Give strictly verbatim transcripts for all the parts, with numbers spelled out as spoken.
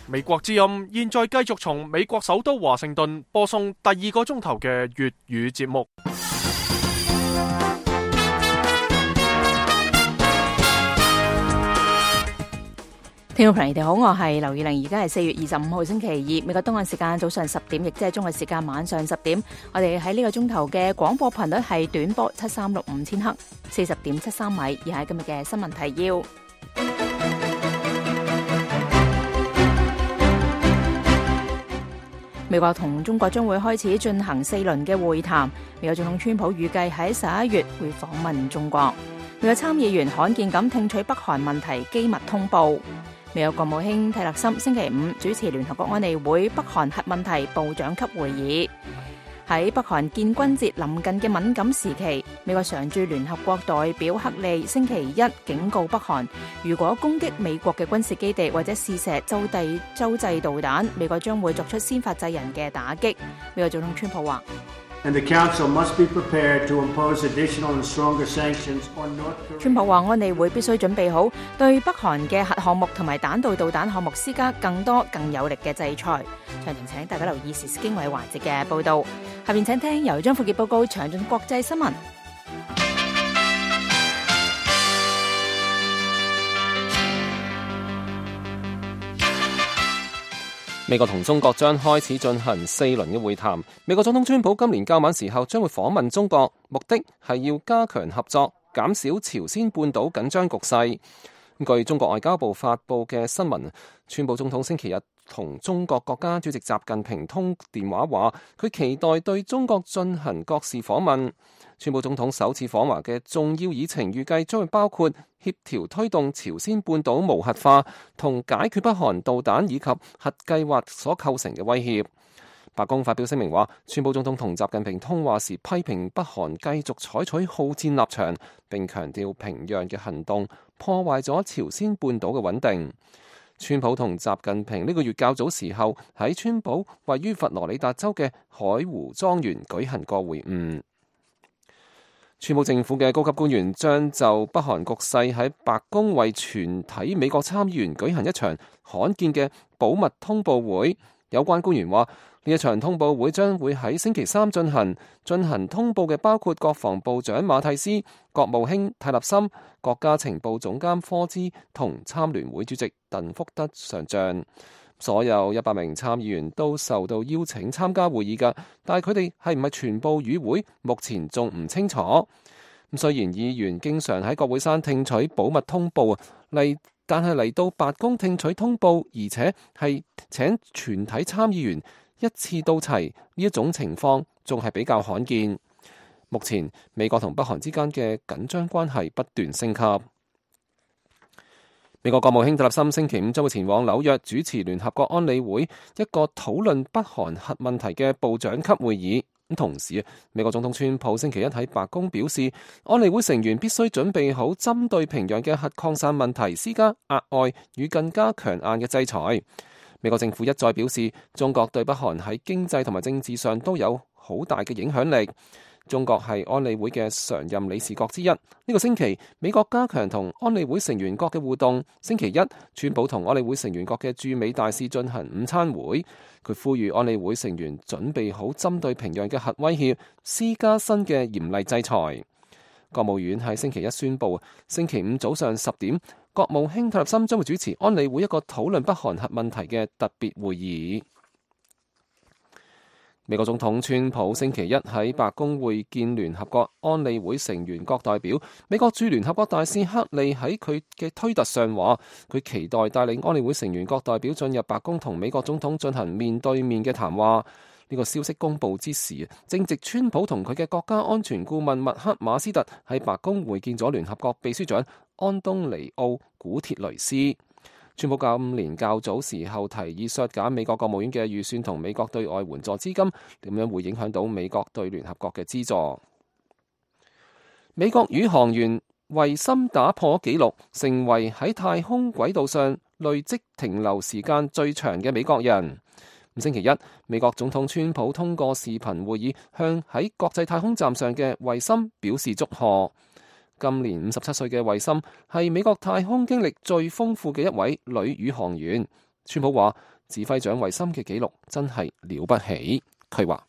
美國之音現在繼續從美國首都華盛頓播送第二個鐘頭嘅粵語節目。聽眾朋友你哋好，我係劉以玲，而家係四月二十五號星期二，美國東岸時間早上十點，亦即係中國時間晚上十點。我哋喺呢個鐘頭嘅廣播頻率係短波七三六五千赫，四十點七三米。以下係今日嘅新聞提要。美國同中國將會開始進行四輪嘅會談。美國總統川普預計喺十一月會訪問中國。美國參議員罕見咁聽取北韓問題機密通報。美國國務卿蒂勒森星期五主持聯合國安理會北韓核問題部長級會議。喺北韓建軍節臨近嘅敏感時期，美國常駐聯合國代表克利星期一警告北韓，如果攻擊美國嘅軍事基地或者試射洲際洲際導彈，美國將會作出先發制人嘅打擊。美國總統川普話。And the Council must be prepared to impose additional and stronger sanctions on North Korea. 川普話安理會必須準備好對北韓嘅核項目同埋彈道導彈項目施加更多更有力嘅制裁。詳情請大家留意時事經緯環節嘅報導。下面請聽由張富傑報告詳盡國際新聞。美國同中國將開始進行四輪嘅會談。美國總統川普今年較晚時候將會訪問中國，目的係要加強合作，減少朝鮮半島緊張局勢。據中國外交部發布嘅新聞，川普總統星期日同中國國家主席習近平通電話，話佢期待對中國進行國事訪問。川普總統首次訪華嘅重要議程預計將會包括協調推動朝鮮半島無核化同解決北韓導彈以及核計劃所構成嘅威脅。白宮發表聲明話，川普總統同習近平通話時批評北韓繼續採取好戰立場，並強調平壤嘅行動破壞咗朝鮮半島嘅穩定。川普同習近平呢個月較早時候喺川普位於佛羅里達州嘅海湖莊園舉行過會晤。川普政府嘅高級官員將就北韓局勢喺白宮為全體美國參議員舉行一場罕見嘅保密通報會。有關官員話，呢一場通報會將會喺星期三進行。進行通報嘅包括國防部長馬蒂斯、國務卿泰勒森、國家情報總監科茲同參聯會主席鄧福德上將。所有一百名參議員都受到邀請參加會議㗎，但係佢哋係唔係全部與會，目前仲唔清楚。咁雖然議員經常喺國會山聽取保密通報嚟，但係嚟到白宮聽取通報，而且係請全體參議員一次到齊，呢一種情況仲係比較罕見。目前美國同北韓之間嘅緊張關係不斷升級。美國國務卿蒂勒森星期五將會前往紐約主持聯合國安理會一個討論北韓核問題嘅部長級會議。咁同時，美國總統川普星期一喺白宮表示，安理會成員必須準備好針對平壤嘅核擴散問題施加額外與更加強硬嘅制裁。美國政府一再表示，中國對北韓喺經濟同埋政治上都有好大嘅影響力。中國係安理會嘅常任理事國之一。呢個星期，美國加強同安理會成員國嘅互動。星期一，川普同安理會成員國嘅駐美大使進行午餐會。佢呼籲安理會成員準備好針對平壤嘅核威脅，施加新嘅嚴厲制裁。國務院喺星期一宣布，星期五早上十點，國務卿蒂勒森將會主持安理會一個討論北韓核問題嘅特別會議。美國總統川普星期一喺白宮會見聯合國安理會成員國代表。美國駐聯合國大使克利喺佢嘅推特上話，佢期待帶領安理會成員國代表進入白宮同美國總統進行面對面嘅談話。呢個消息公佈之時，正值川普同佢嘅國家安全顧問麥克馬斯特喺白宮會見咗聯合國秘書長安東尼奧古鐵雷斯。川普今年較早時候提議削減美國國務院嘅預算同美國對外援助資金，點樣會影響到美國對聯合國嘅資助？美國宇航員維森打破紀錄，成為喺太空軌道上累積停留時間最長嘅美國人。星期一，美國總統川普通過視頻會議向喺國際太空站上嘅維森表示祝賀。今年五十七歲嘅維森係美國太空經歷最豐富嘅一位女宇航員。川普話指揮長維森嘅紀錄真係了不起。佢話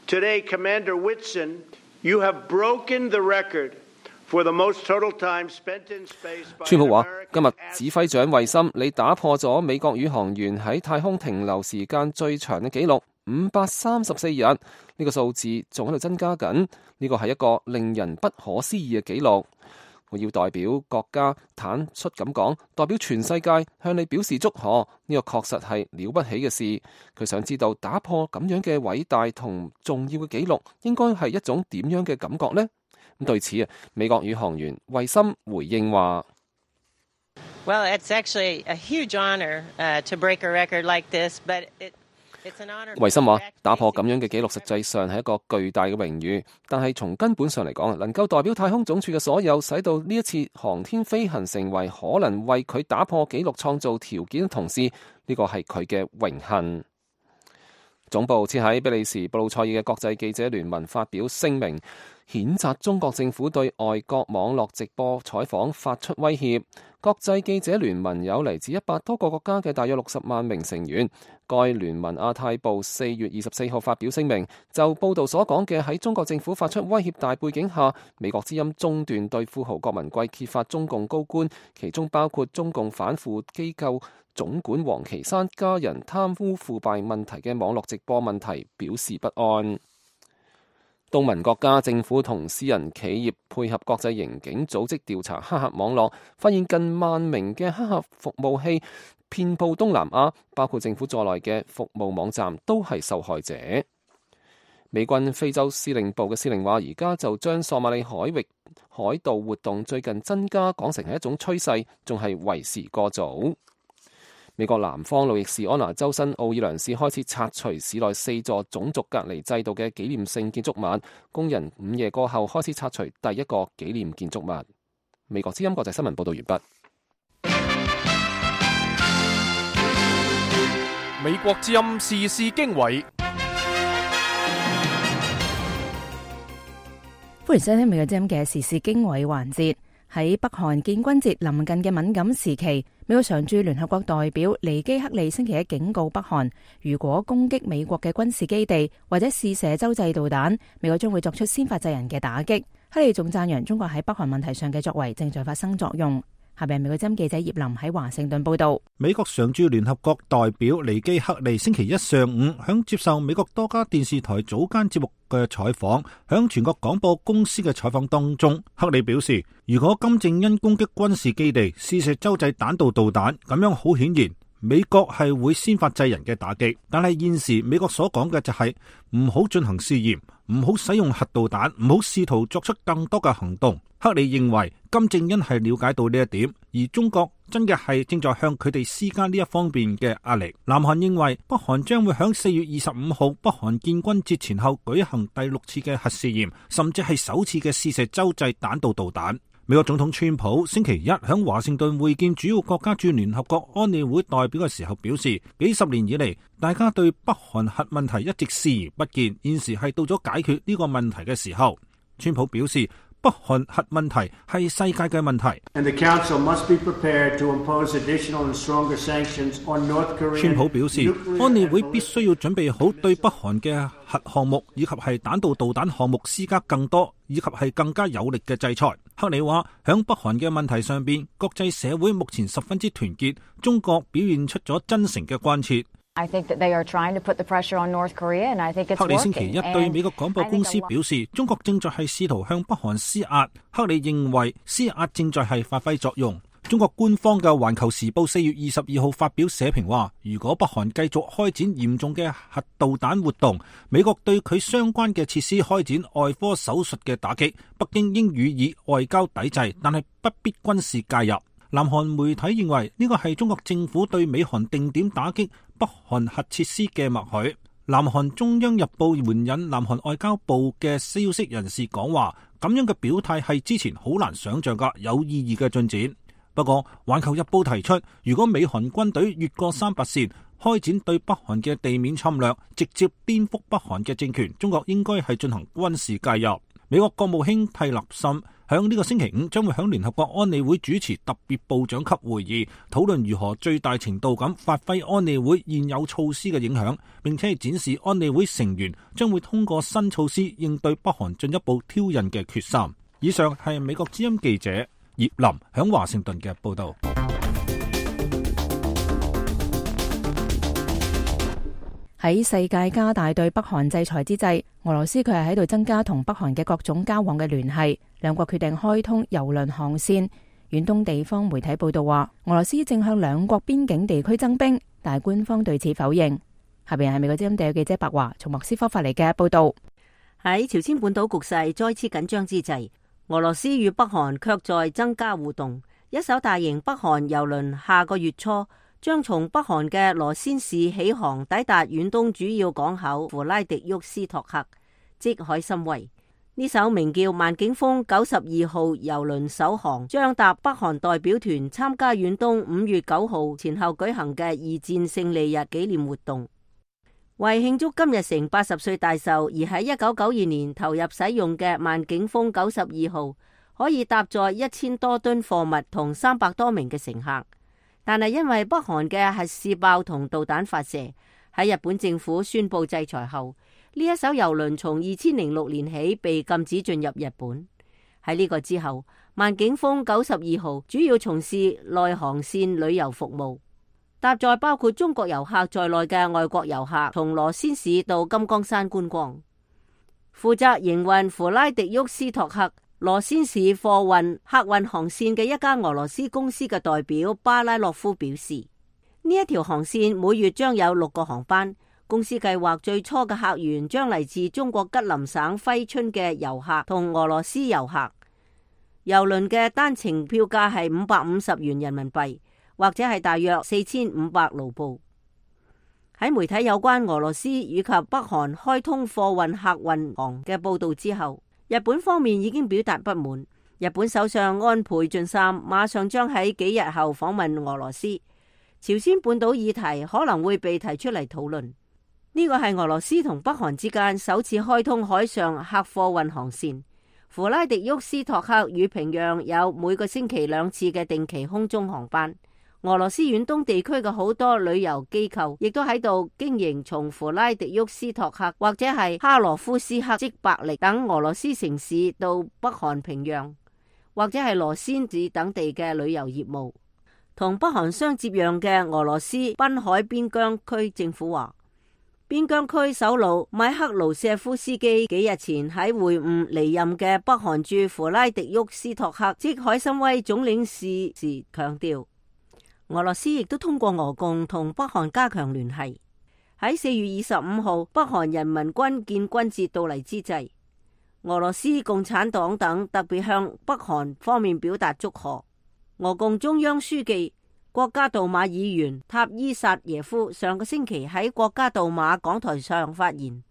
Today, Commander Whitson, you have broken the record for the most total time spent in space by 川普話 American 今日指揮長維森，你打破咗美國宇航員喺太空停留時間最長嘅紀錄五百三十四日，呢、這個數字仲喺度增加緊，呢個係一個令人不可思議嘅紀錄。我要代表國家坦率咁講，代表全世界向你表示祝賀，呢、這個確實係了不起嘅事。佢想知道打破咁樣嘅偉大同重要嘅紀錄，應該係一種點樣嘅感覺呢？咁對此啊，美國宇航員維森回應話 Well, it's actually a huge honor, uh, to break a record like this, but it維森話打破咁樣嘅紀錄實際上係一個巨大嘅榮譽，但係從根本上嚟講，能夠代表太空總署嘅所有，使到呢一次航天飛行成為可能為佢打破紀錄創造條件嘅同時，呢個係佢嘅榮幸。總部設喺比利時布魯塞爾嘅國際記者聯盟發表聲明，譴責中國政府對外國網絡直播採訪發出威脅。國際記者聯盟有嚟自一百多個國家嘅大約六十萬名成員。該聯盟亞太部四月二十四號發表聲明，就報道所講嘅喺中國政府發出威脅大背景下，美國之音中斷對富豪郭文貴揭發中共高官，其中包括中共反腐機構總管王岐山家人貪污腐敗問題嘅網絡直播問題表示不安。東盟國家政府同私人企業配合國際刑警組織調查黑客網絡，發現近萬名嘅黑客服務器遍佈東南亞，包括政府在內嘅服務網站都係受害者。美軍非洲司令部嘅司令話，而家就將索馬里海域海盜活動最近增加講成係一種趨勢，仲係為時過早。美國南方路易士安那州新奧爾良市開始拆除市內四座種族隔離制度嘅紀念性建築物，工人午夜過後開始拆除第一個紀念建築物。美國之音國際新聞報道完畢。美國之音時事經緯，歡迎收聽美國之音嘅時事經緯環節。喺北韓建軍節臨近嘅敏感時期，美國常駐聯合國代表尼基克利星期一警告北韓，如果攻擊美國嘅軍事基地或者試射洲際導彈，美國將會作出先發制人嘅打擊。克利仲讚揚中國喺北韓問題上嘅作為正在發生作用。下邊美國之音記者葉林喺華盛頓報道。美國常駐聯合國代表尼基克利星期一上午響接受美國多家電視台早間節目嘅採訪，響全國廣播公司嘅採訪當中，克利表示，如果金正恩攻擊軍事基地、試射洲際彈道導彈，咁樣好顯然美國係會先發制人嘅打擊。但係現時美國所講嘅就係唔好進行試驗，唔好使用核導彈，唔好試圖作出更多嘅行動。克里認為金正恩係了解到呢一點，而中國真嘅係正在向佢哋施加呢一方面嘅壓力。南韓認為北韓將會響四月二十五號北韓建軍節前後舉行第六次嘅核試驗，甚至係首次嘅試射洲際彈道導彈。美國總統川普星期一響華盛頓會見主要國家駐聯合國安理會代表嘅時候表示，幾十年以嚟，大家對北韓核問題一直視而不見，現時係到咗解決呢個問題嘅時候。川普表示，北韓核問題係世界嘅問題。川普表示，安理會必須要準備好對北韓嘅核項目以及係彈道導彈項目施加更多以及係更加有力嘅制裁。克里話，響北韓嘅問題上邊，國際社會目前十分之團結，中國表現出咗真誠嘅關切。I think that they are trying to put the pressure on North Korea, and I think it's working. 克里星期一對美國廣播公司表示，中國正在係試圖向北韓施壓。克里認為施壓正在係發揮作用。中國官方嘅《環球時報》四月二十二號發表社評話，如果北韓繼續開展嚴重嘅核導彈活動，美國對佢相關嘅設施開展外科手術嘅打擊，北京應予以外交抵制，但係不必軍事介入。南韓媒體認為呢個係中國政府對美韓定點打擊北韓核設施嘅默許。南韓中央日報援引南韓外交部嘅消息人士講話，咁樣嘅表態係之前好難想象嘅有意義嘅進展。不過環球日報提出，如果美韓軍隊越過三八線開展對北韓嘅地面侵略，直接顛覆北韓嘅政權，中國應該係進行軍事介入。美國國務卿蒂勒森響呢個星期五將會響聯合國安理會主持特別部長級會議，討論如何最大程度咁發揮安理會現有措施嘅影響，並且展示安理會成員將會通過新措施應對北韓進一步挑釁嘅決心。以上係美國之音記者葉林響華盛頓嘅報道。喺世界加大對北韓制裁之際，俄羅斯佢係喺度增加同北韓嘅各種交往嘅聯繫，兩國決定開通郵輪航線。遠東地方媒體報道話，俄羅斯正向兩國邊境地區增兵，但係官方對此否認。下邊係美國之音地記者白華從莫斯科發嚟嘅報道。喺朝鮮半島局勢再次緊張之際，俄羅斯與北韓卻在增加互動。一艘大型北韓郵輪下個月初將從北韓嘅羅先市起航，抵達遠東主要港口弗拉迪沃斯托克，即海參崴。呢艘名叫萬景峰九十二號郵輪首航，將搭北韓代表團參加遠東五月九號前後舉行嘅二戰勝利日紀念活動。為慶祝金日成八十歲大壽，而喺一九九二年投入使用嘅萬景峰九十二號，可以搭載一千多噸貨物同三百多名嘅乘客。但係因為北韓嘅核試爆同導彈發射，喺日本政府宣布制裁後，呢一艘郵輪從二千零六年起被禁止進入日本。喺呢個之後，萬景峰九十二號主要從事內航線旅遊服務，搭載包括中國遊客在內嘅外國遊客從羅先市到金剛山觀光。負責營運弗拉迪沃斯托克羅先市貨運客運航線嘅一家俄羅斯公司嘅代表巴拉洛夫表示，呢一條航線每月將有六個航班。公司計劃最初嘅客源將嚟自中國吉林省揮春嘅遊客同俄羅斯遊客。郵輪嘅單程票價係五百五十元人民幣，或者係大約四千五百盧布。喺媒體有關俄羅斯以及北韓開通貨運客運航嘅報道之後，日本方面已經表達不滿。日本首相安倍晉三馬上將喺幾日後訪問俄羅斯，朝鮮半島議題可能會被提出嚟討論。呢個係俄羅斯同北韓之間首次開通海上客貨運航線。弗拉迪沃斯托克與平壤有每個星期兩次嘅定期空中航班。俄羅斯遠東地區嘅好多旅遊機構亦都喺度經營從弗拉迪沃斯托克或者係哈羅夫斯克即伯力等俄羅斯城市到北韓平壤或者係羅先子等地嘅旅遊業務。同北韓相接壤嘅俄羅斯濱海邊疆區政府話，邊疆區首腦米克盧舍夫斯基幾日前喺會晤離任嘅北韓駐弗拉迪沃斯托克即海參崴總領事時強調，俄羅斯亦都通過俄共同北韓加強聯繫。喺四月二十五號北韓人民軍建軍節到嚟之際，俄羅斯共產黨等特別向北韓方面表達祝賀。俄共中央書記、國家杜馬議員塔伊薩耶夫上個星期喺國家杜馬講台上發言，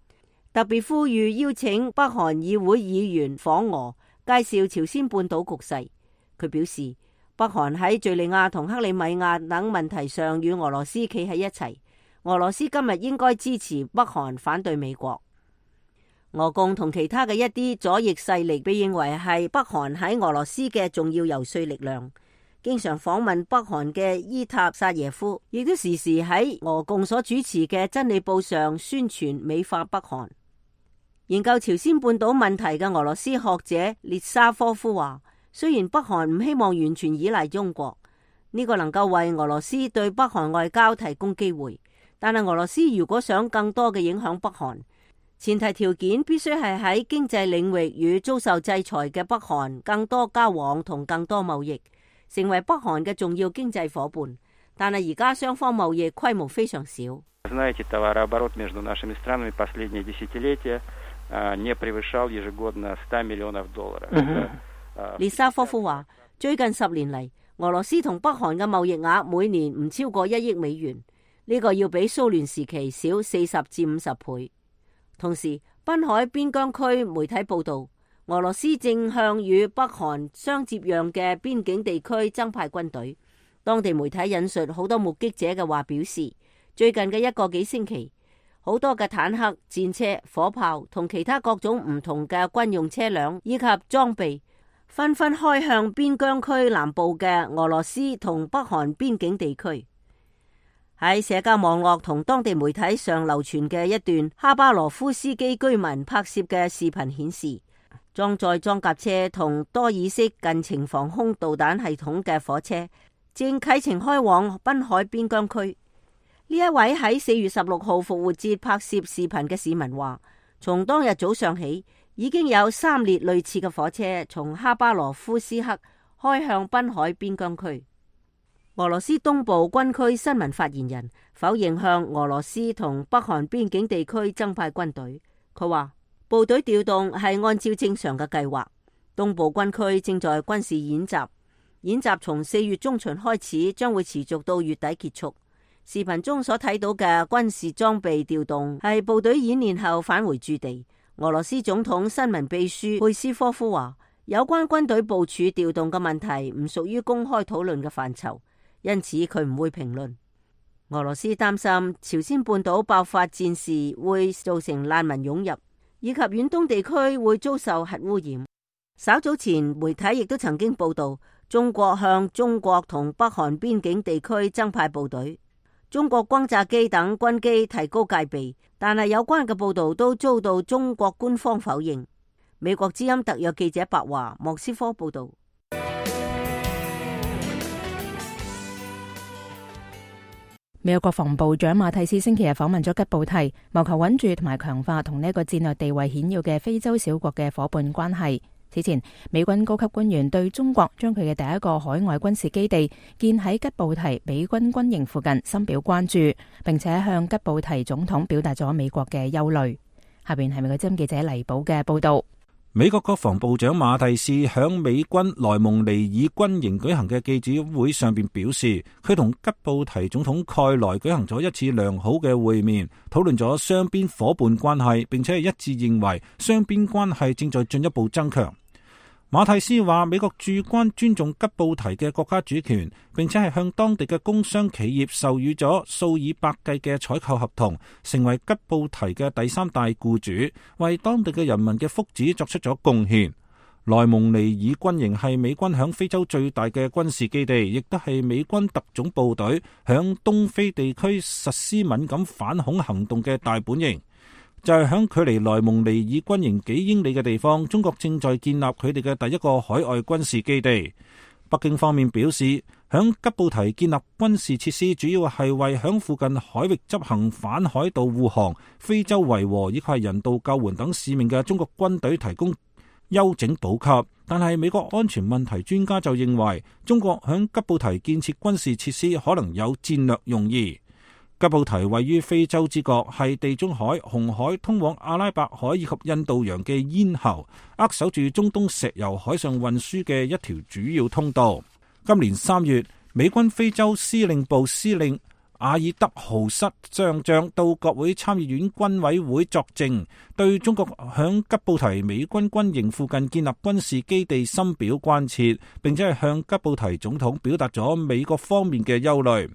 特別呼籲邀請北韓議會議員訪俄，介紹朝鮮半島局勢。佢表示，北韓喺敘利亞同克里米亞等問題上與俄羅斯企喺一齊，俄羅斯今日應該支持北韓反對美國。俄共同其他嘅一啲左翼勢力被認為係北韓喺俄羅斯嘅重要游說力量。經常訪問北韓嘅伊塔薩耶夫亦都時時喺俄共所主持嘅真理報上宣傳美化北韓。研究朝鮮半島問題嘅俄羅斯學者列沙科夫話，雖然北韓唔希望完全依賴中國，呢個能夠為俄羅斯對北韓外交提供機會，但係俄羅斯如果想更多嘅影響北韓，前提條件必須係喺經濟領域與遭受制裁嘅北韓更多交往同更多貿易，成為北韓嘅重要經濟夥伴。但係而家雙方貿易規模非常少。列沙科夫話，最近十年嚟，俄羅斯同北韓嘅貿易額每年唔超過一億美元，呢個要比蘇聯時期少四十至五十倍。同時，濱海邊疆區媒體報道，俄羅斯正向與北韓相接壤嘅邊境地區增派軍隊。當地媒體引述好多目擊者嘅話表示，最近嘅一個幾星期，好多嘅坦克、戰車、火炮同其他各種唔同嘅軍用車輛以及裝備紛紛開向邊疆區南部嘅俄羅斯同北韓邊境地區。喺社交網絡同當地媒體上流傳嘅一段哈巴羅夫斯基居民拍攝嘅視頻顯示，裝載裝甲車同多爾式近程防空導彈系統嘅火車正啟程開往濱海邊疆區。呢一位喺四月十六號復活節拍攝視頻嘅市民話，從當日早上起，已經有三列類似嘅火車從哈巴羅夫斯克開向濱海邊疆區。俄羅斯東部軍區新聞發言人否認向俄羅斯同北韓邊境地區增派軍隊。佢話部隊調動係按照正常嘅計劃。東部軍區正在軍事演習，演習從四月中旬開始，將會持續到月底結束。視頻中所睇到嘅軍事裝備調動係部隊演練後返回駐地。俄羅斯總統新聞秘書佩斯科夫話，有關軍隊部署調動嘅問題唔屬於公開討論嘅範疇。因此佢唔會評論。俄羅斯擔心朝鮮半島爆發戰事會造成難民湧入，以及遠東地區會遭受核污染。稍早前媒體亦都曾經報道，中國向中國同北韓邊境地區增派部隊，中國轟炸機等軍機提高戒備，但係有關嘅報道都遭到中國官方否認。美國之音特約記者白華莫斯科報道。美國國防部長馬蒂斯星期日訪問咗吉布提，謀求穩住同埋強化同呢一個戰略地位顯要嘅非洲小國嘅伙伴關係。此前，美軍高級官員對中國將佢嘅第一個海外軍事基地建喺吉布提美軍軍營附近深表關注，並且向吉布提總統表達咗美國嘅憂慮。下邊係美國之音記者黎寶嘅報道。美國國防部長馬蒂斯響美軍萊蒙尼爾軍營舉行嘅記者會上邊表示，佢同吉布提總統蓋萊舉行咗一次良好嘅會面，討論咗雙邊伙伴關係，並且係一致認為雙邊關係正在進一步增強。馬蒂斯話，美國駐軍尊重吉布提嘅國家主權，並且係向當地嘅工商企業授予咗數以百計嘅採購合同，成為吉布提嘅第三大僱主，為當地嘅人民嘅福祉作出咗貢獻。萊蒙尼爾軍營係美軍響非洲最大嘅軍事基地，亦都係美軍特種部隊響東非地區實施敏感反恐行動嘅大本營。就係響距離萊蒙尼爾軍營幾英里嘅地方，中國正在建立佢哋嘅第一個海外軍事基地。北京方面表示，響吉布提建立軍事設施，主要係為響附近海域執行反海盜護航、非洲維和以及係人道救援等使命嘅中國軍隊提供休整補給。但係美國安全問題專家就認為，中國響吉布提建設軍事設施可能有戰略用意。吉布提位於非洲之角，係地中海、紅海通往阿拉伯海以及印度洋嘅咽喉，扼守住中東石油海上運輸嘅一條主要通道。今年三月，美軍非洲司令部司令阿爾德豪瑟上將到國會參議院軍委會作證，對中國響吉布提美軍軍營附近建立軍事基地深表關切，並且係向吉布提總統表達咗美國方面嘅憂慮。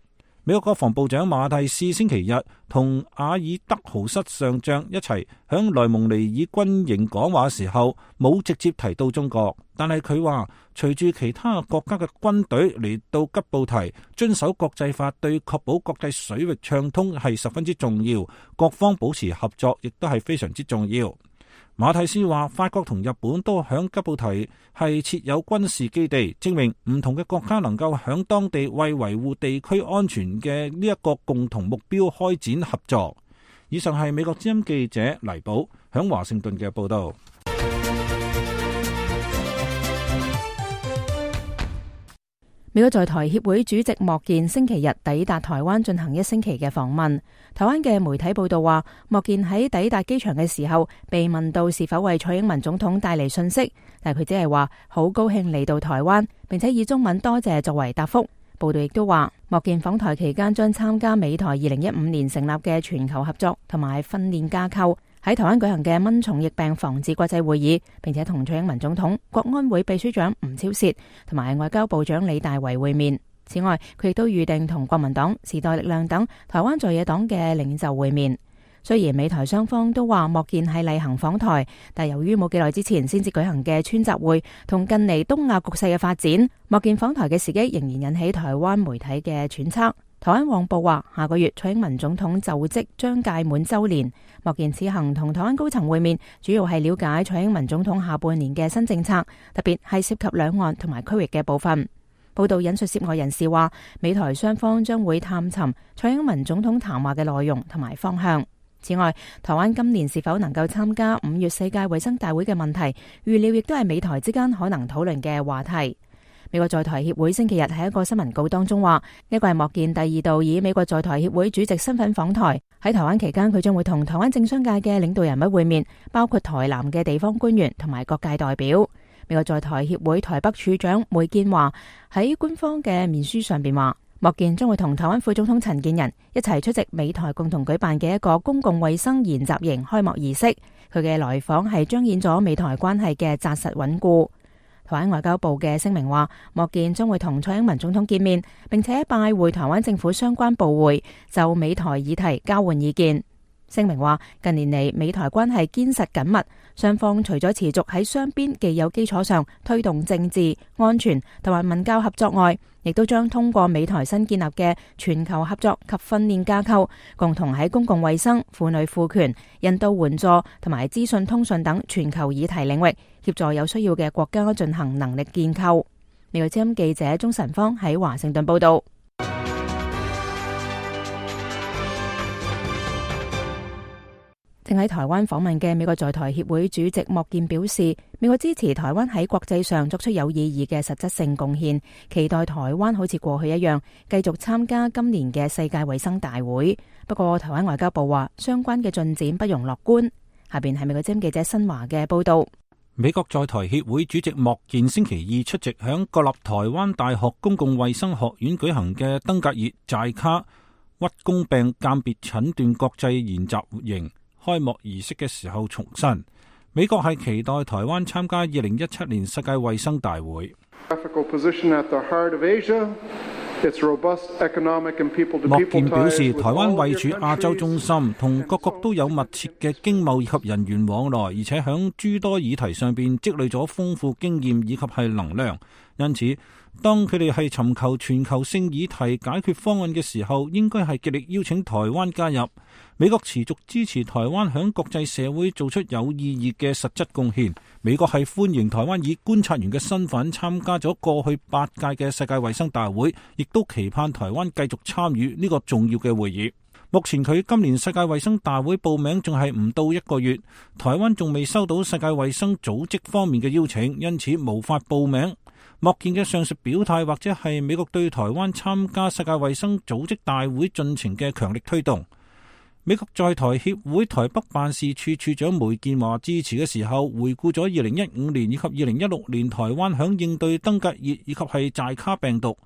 美國國防部長馬蒂斯星期日同阿爾德豪瑟上將一齊響萊蒙尼爾軍營講話時候，冇直接提到中國，但係佢話隨住其他國家嘅軍隊嚟到吉布提，遵守國際法對確保國際水域暢通係十分之重要，各方保持合作亦都係非常之重要。馬蒂斯話，法國同日本都響吉布提係設有軍事基地，證明唔同嘅國家能夠響當地為維護地區安全嘅呢一個共同目標開展合作。以上係美國之音記者黎寶響華盛頓嘅報道。美國在台協會主席莫健星期日抵達台灣進行一星期嘅訪問。台灣嘅媒體報道話，莫健喺抵達機場嘅時候被問到是否為蔡英文總統帶嚟訊息，但佢只係話好高興嚟到台灣，並且以中文多謝作為答覆。報道亦都話，莫健訪台期間將參加美台二零一五年成立嘅全球合作同埋訓練架構喺台灣舉行嘅蚊蟲疫病防治國際會議，並且同蔡英文總統、國安會秘書長吳釗燮同埋外交部長李大維會面。此外，佢亦都預定同國民黨、時代力量等台灣在野黨嘅領袖會面。雖然美台雙方都話莫健係例行訪台，但由於冇幾耐之前先至舉行嘅川習會同近嚟東亞局勢嘅發展，莫健訪台嘅時機仍然引起台灣媒體嘅揣測。台灣往報話，下個月蔡英文總統就職將屆滿週年，莫健此行同台灣高層會面，主要係了解蔡英文總統下半年嘅新政策，特別係涉及兩岸同埋區域嘅部分。報道引述涉外人士話，美台雙方將會探尋蔡英文總統談話嘅內容同埋方向。此外，台灣今年是否能夠參加五月世界衛生大會嘅問題，預料亦都係美台之間可能討論嘅話題。美國在台協會星期日喺一個新聞稿當中話，呢個係莫健第二度以美國在台協會主席身份訪台。喺台灣期間，佢將會同台灣政商界嘅領導人物會面，包括台南嘅地方官員同埋各界代表。美國在台協會台北處長梅建華喺官方嘅面書上邊話，莫健將會同台灣副總統陳建仁一齊出席美台共同舉辦嘅一個公共衛生研習營開幕儀式。佢嘅來訪係彰顯咗美台關係嘅紮實穩固。台灣外交部嘅聲明話，莫健將會同蔡英文總統見面，並且拜會台灣政府相關部會，就美台議題交換意見。聲明話，近年嚟美台關係堅實緊密，雙方除咗持續喺雙邊既有基礎上推動政治、安全同埋文教合作外，亦都將通過美台新建立嘅全球合作及訓練架構，共同喺公共衛生、婦女賦權、人道援助同埋資訊通訊等全球議題領域，協助有需要嘅國家進行能力建構。美國之音記者鍾晨芳喺華盛頓報道。正喺台灣訪問嘅美國在台協會主席莫健表示，美國支持台灣喺國際上作出有意義嘅實質性貢獻，期待台灣好似過去一樣繼續參加今年嘅世界衛生大會。不過台灣外交部話，相關嘅進展不容樂觀。下邊係美國之音記者新華嘅報道。美國在台協會主席莫健星期二出席響國立台灣大學公共衛生學院舉行嘅登革熱寨卡屈公病鑑別診斷國際研習營開幕儀式嘅時候重申，美國係期待台灣參加二零一七年世界衛生大會。莫健表示，台灣位處亞洲中心，同各國都有密切嘅經貿以及人員往來，而且響諸多議題上邊積累咗豐富經驗以及係能量。因此，當佢哋係尋求全球性議題解決方案嘅時候，應該係極力邀請台灣加入。美國持續支持台灣響國際社會做出有意義嘅實質貢獻。美國係歡迎台灣以觀察員嘅身份參加咗過去八屆嘅世界衛生大會，亦都期盼台灣繼續參與呢個重要嘅會議。目前佢今年世界衛生大會報名仲係唔到一個月，台灣仲未收到世界衛生組織方面嘅邀請，因此無法報名。莫健嘅上述表態，或者係美國對台灣參加世界衛生組織大會進程嘅強力推動。美國在台協會台北辦事處處長梅建華致辭嘅時候，回顧咗二零一五年以及二零一六年台灣響應對登革熱以及係寨卡病毒，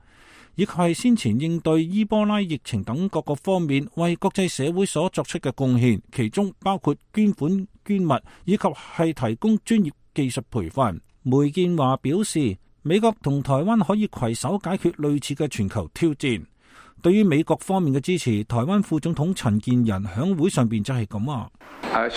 以及係先前應對伊波拉疫情等各個方面為國際社會所作出嘅貢獻，其中包括捐款捐物以及係提供專業技術培訓。梅建華表示，美國同台灣可以攜手解決類似嘅全球挑戰。對於美國方面嘅支持，台灣副總統陳建仁響會上邊就係咁話。陳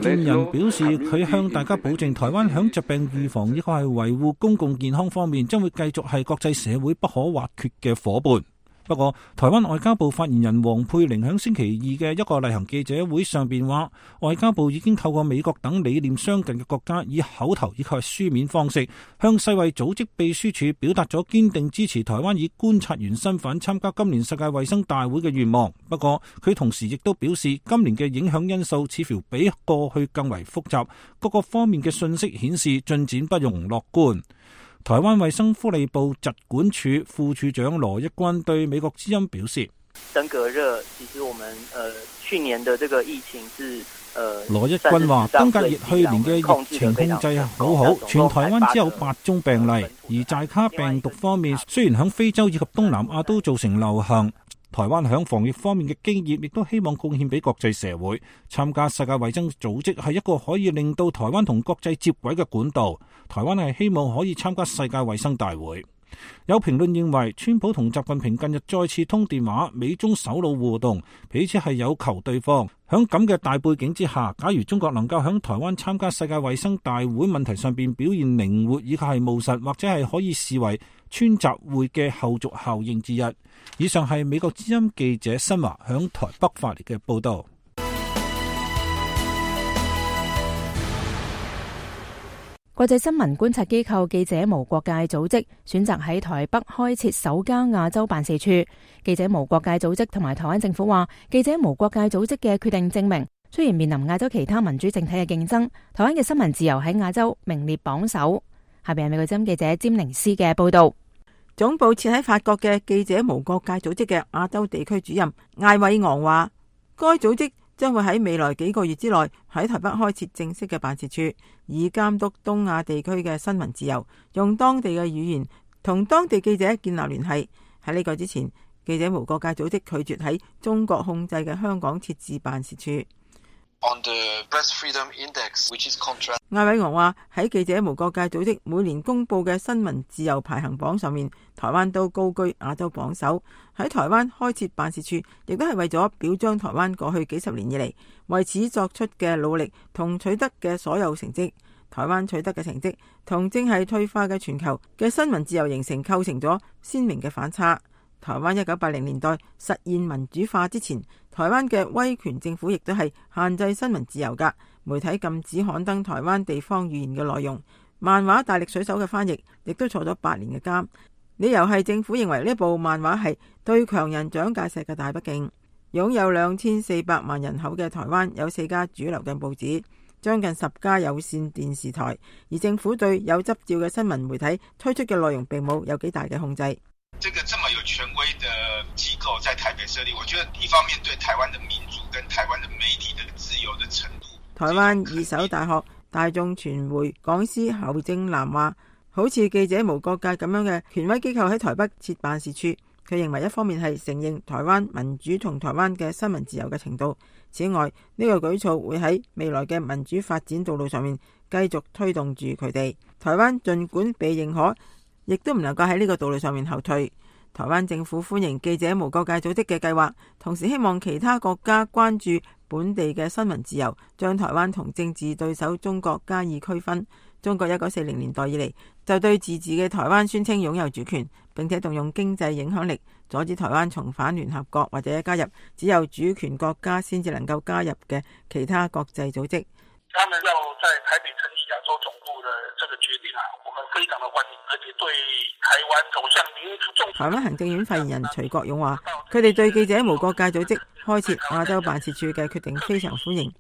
建仁表示，佢向大家保證，台灣響疾病預防以及係維護公共健康方面，將會繼續係國際社會不可或缺嘅夥伴。不過，台灣外交部發言人黃佩玲響星期二嘅一個例行記者會上邊話，外交部已經透過美國等理念相近嘅國家，以口頭以及書面方式，向世衛組織秘書處表達咗堅定支持台灣以觀察員身份參加今年世界衛生大會嘅願望。不過，佢同時亦都表示，今年嘅影響因素似乎比過去更為複雜，各個方面嘅信息顯示進展不容樂觀。台灣衛生福利部疾管署副處長羅一軍對美國之音表示，登革熱其實我們呃去年的這個疫情是呃羅一軍話，登革熱去年嘅疫情控制好好，全台灣只有八宗病例。而寨卡病毒方面，雖然響非洲以及東南亞都造成流行，台灣響防疫方面嘅經驗，亦都希望貢獻俾國際社會。參加世界衛生組織係一個可以令到台灣同國際接軌嘅管道。台灣係希望可以參加世界衛生大會。有評論認為，川普同習近平近日再次通電話，美中首腦互動，彼此係有求對方。響咁嘅大背景之下，假如中國能夠響台灣參加世界衛生大會問題上邊表現靈活以及係務實，或者係可以視為川習會嘅後續效應之一。以上係美國之音記者新華響台北發嚟嘅報道。國際新聞觀察機構記者無國界組織選擇喺台北開設首家亞洲辦事處。記者無國界組織同埋台灣政府話，記者無國界組織嘅決定證明，雖然面臨亞洲其他民主政體嘅競爭，台灣嘅新聞自由喺亞洲名列榜首。下邊係美國之音記者詹寧斯嘅報道。總部設喺法國嘅記者無國界組織嘅亞洲地區主任艾偉昂話，該組織將會喺未來幾個月之內喺台北開設正式嘅辦事處，以監督東亞地區嘅新聞自由，用當地嘅語言同當地記者建立聯繫。喺呢個之前，記者無國界組織拒絕喺中國控制嘅香港設置辦事處。On the Press Freedom Index, which is contract. 艾偉昂話，喺記者無國界組織每年公布嘅新聞自由排行榜上面，台灣都高居亞洲榜首。喺台灣開設辦事處，亦都係為咗表彰台灣過去幾十年以嚟為此作出嘅努力同取得嘅所有成績。台灣取得嘅成績同正係退化嘅全球嘅新聞自由形成構成咗鮮明嘅反差。台灣一九八零年代實現民主化之前，台灣嘅威權政府亦都係限制新聞自由㗎，媒體禁止刊登台灣地方語言嘅內容，漫畫大力水手嘅翻譯亦都坐咗八年嘅監，理由係政府認為呢部漫畫係對強人蔣介石嘅大不敬。擁有兩千四百萬人口嘅台灣有四家主流嘅報紙，將近十家有線電視台，而政府對有執照嘅新聞媒體推出嘅內容並冇有幾大嘅控制。這個這麼有權威的機構在台北設立，我覺得一方面對台灣的民主跟台灣的媒體的自由的程度。台灣二手大學大眾傳媒講師侯正南話，好似記者無國界咁樣嘅權威機構喺台北設辦事處，佢認為一方面係承認台灣民主同台灣嘅新聞自由嘅程度，此外呢個舉措會喺未來嘅民主發展道路上面繼續推動住佢哋。台灣盡管被認可，亦都唔能夠喺呢個道路上面後退。台灣政府歡迎記者無國界組織嘅計劃，同時希望其他國家關注本地嘅新聞自由，將台灣同政治對手中國加以區分。中國一九四零年代以嚟就對自治嘅台灣宣稱擁有主權，並且動用經濟影響力阻止台灣重返聯合國或者加入只有主權國家先至能夠加入嘅其他國際組織。他們要在台北成立亞洲總部的這個決定啊，我們非常的歡迎，而且對台灣走向民主。台灣行政院發言人徐國勇話，佢哋對記者無國界組織開設亞洲辦事處嘅決定非常歡迎。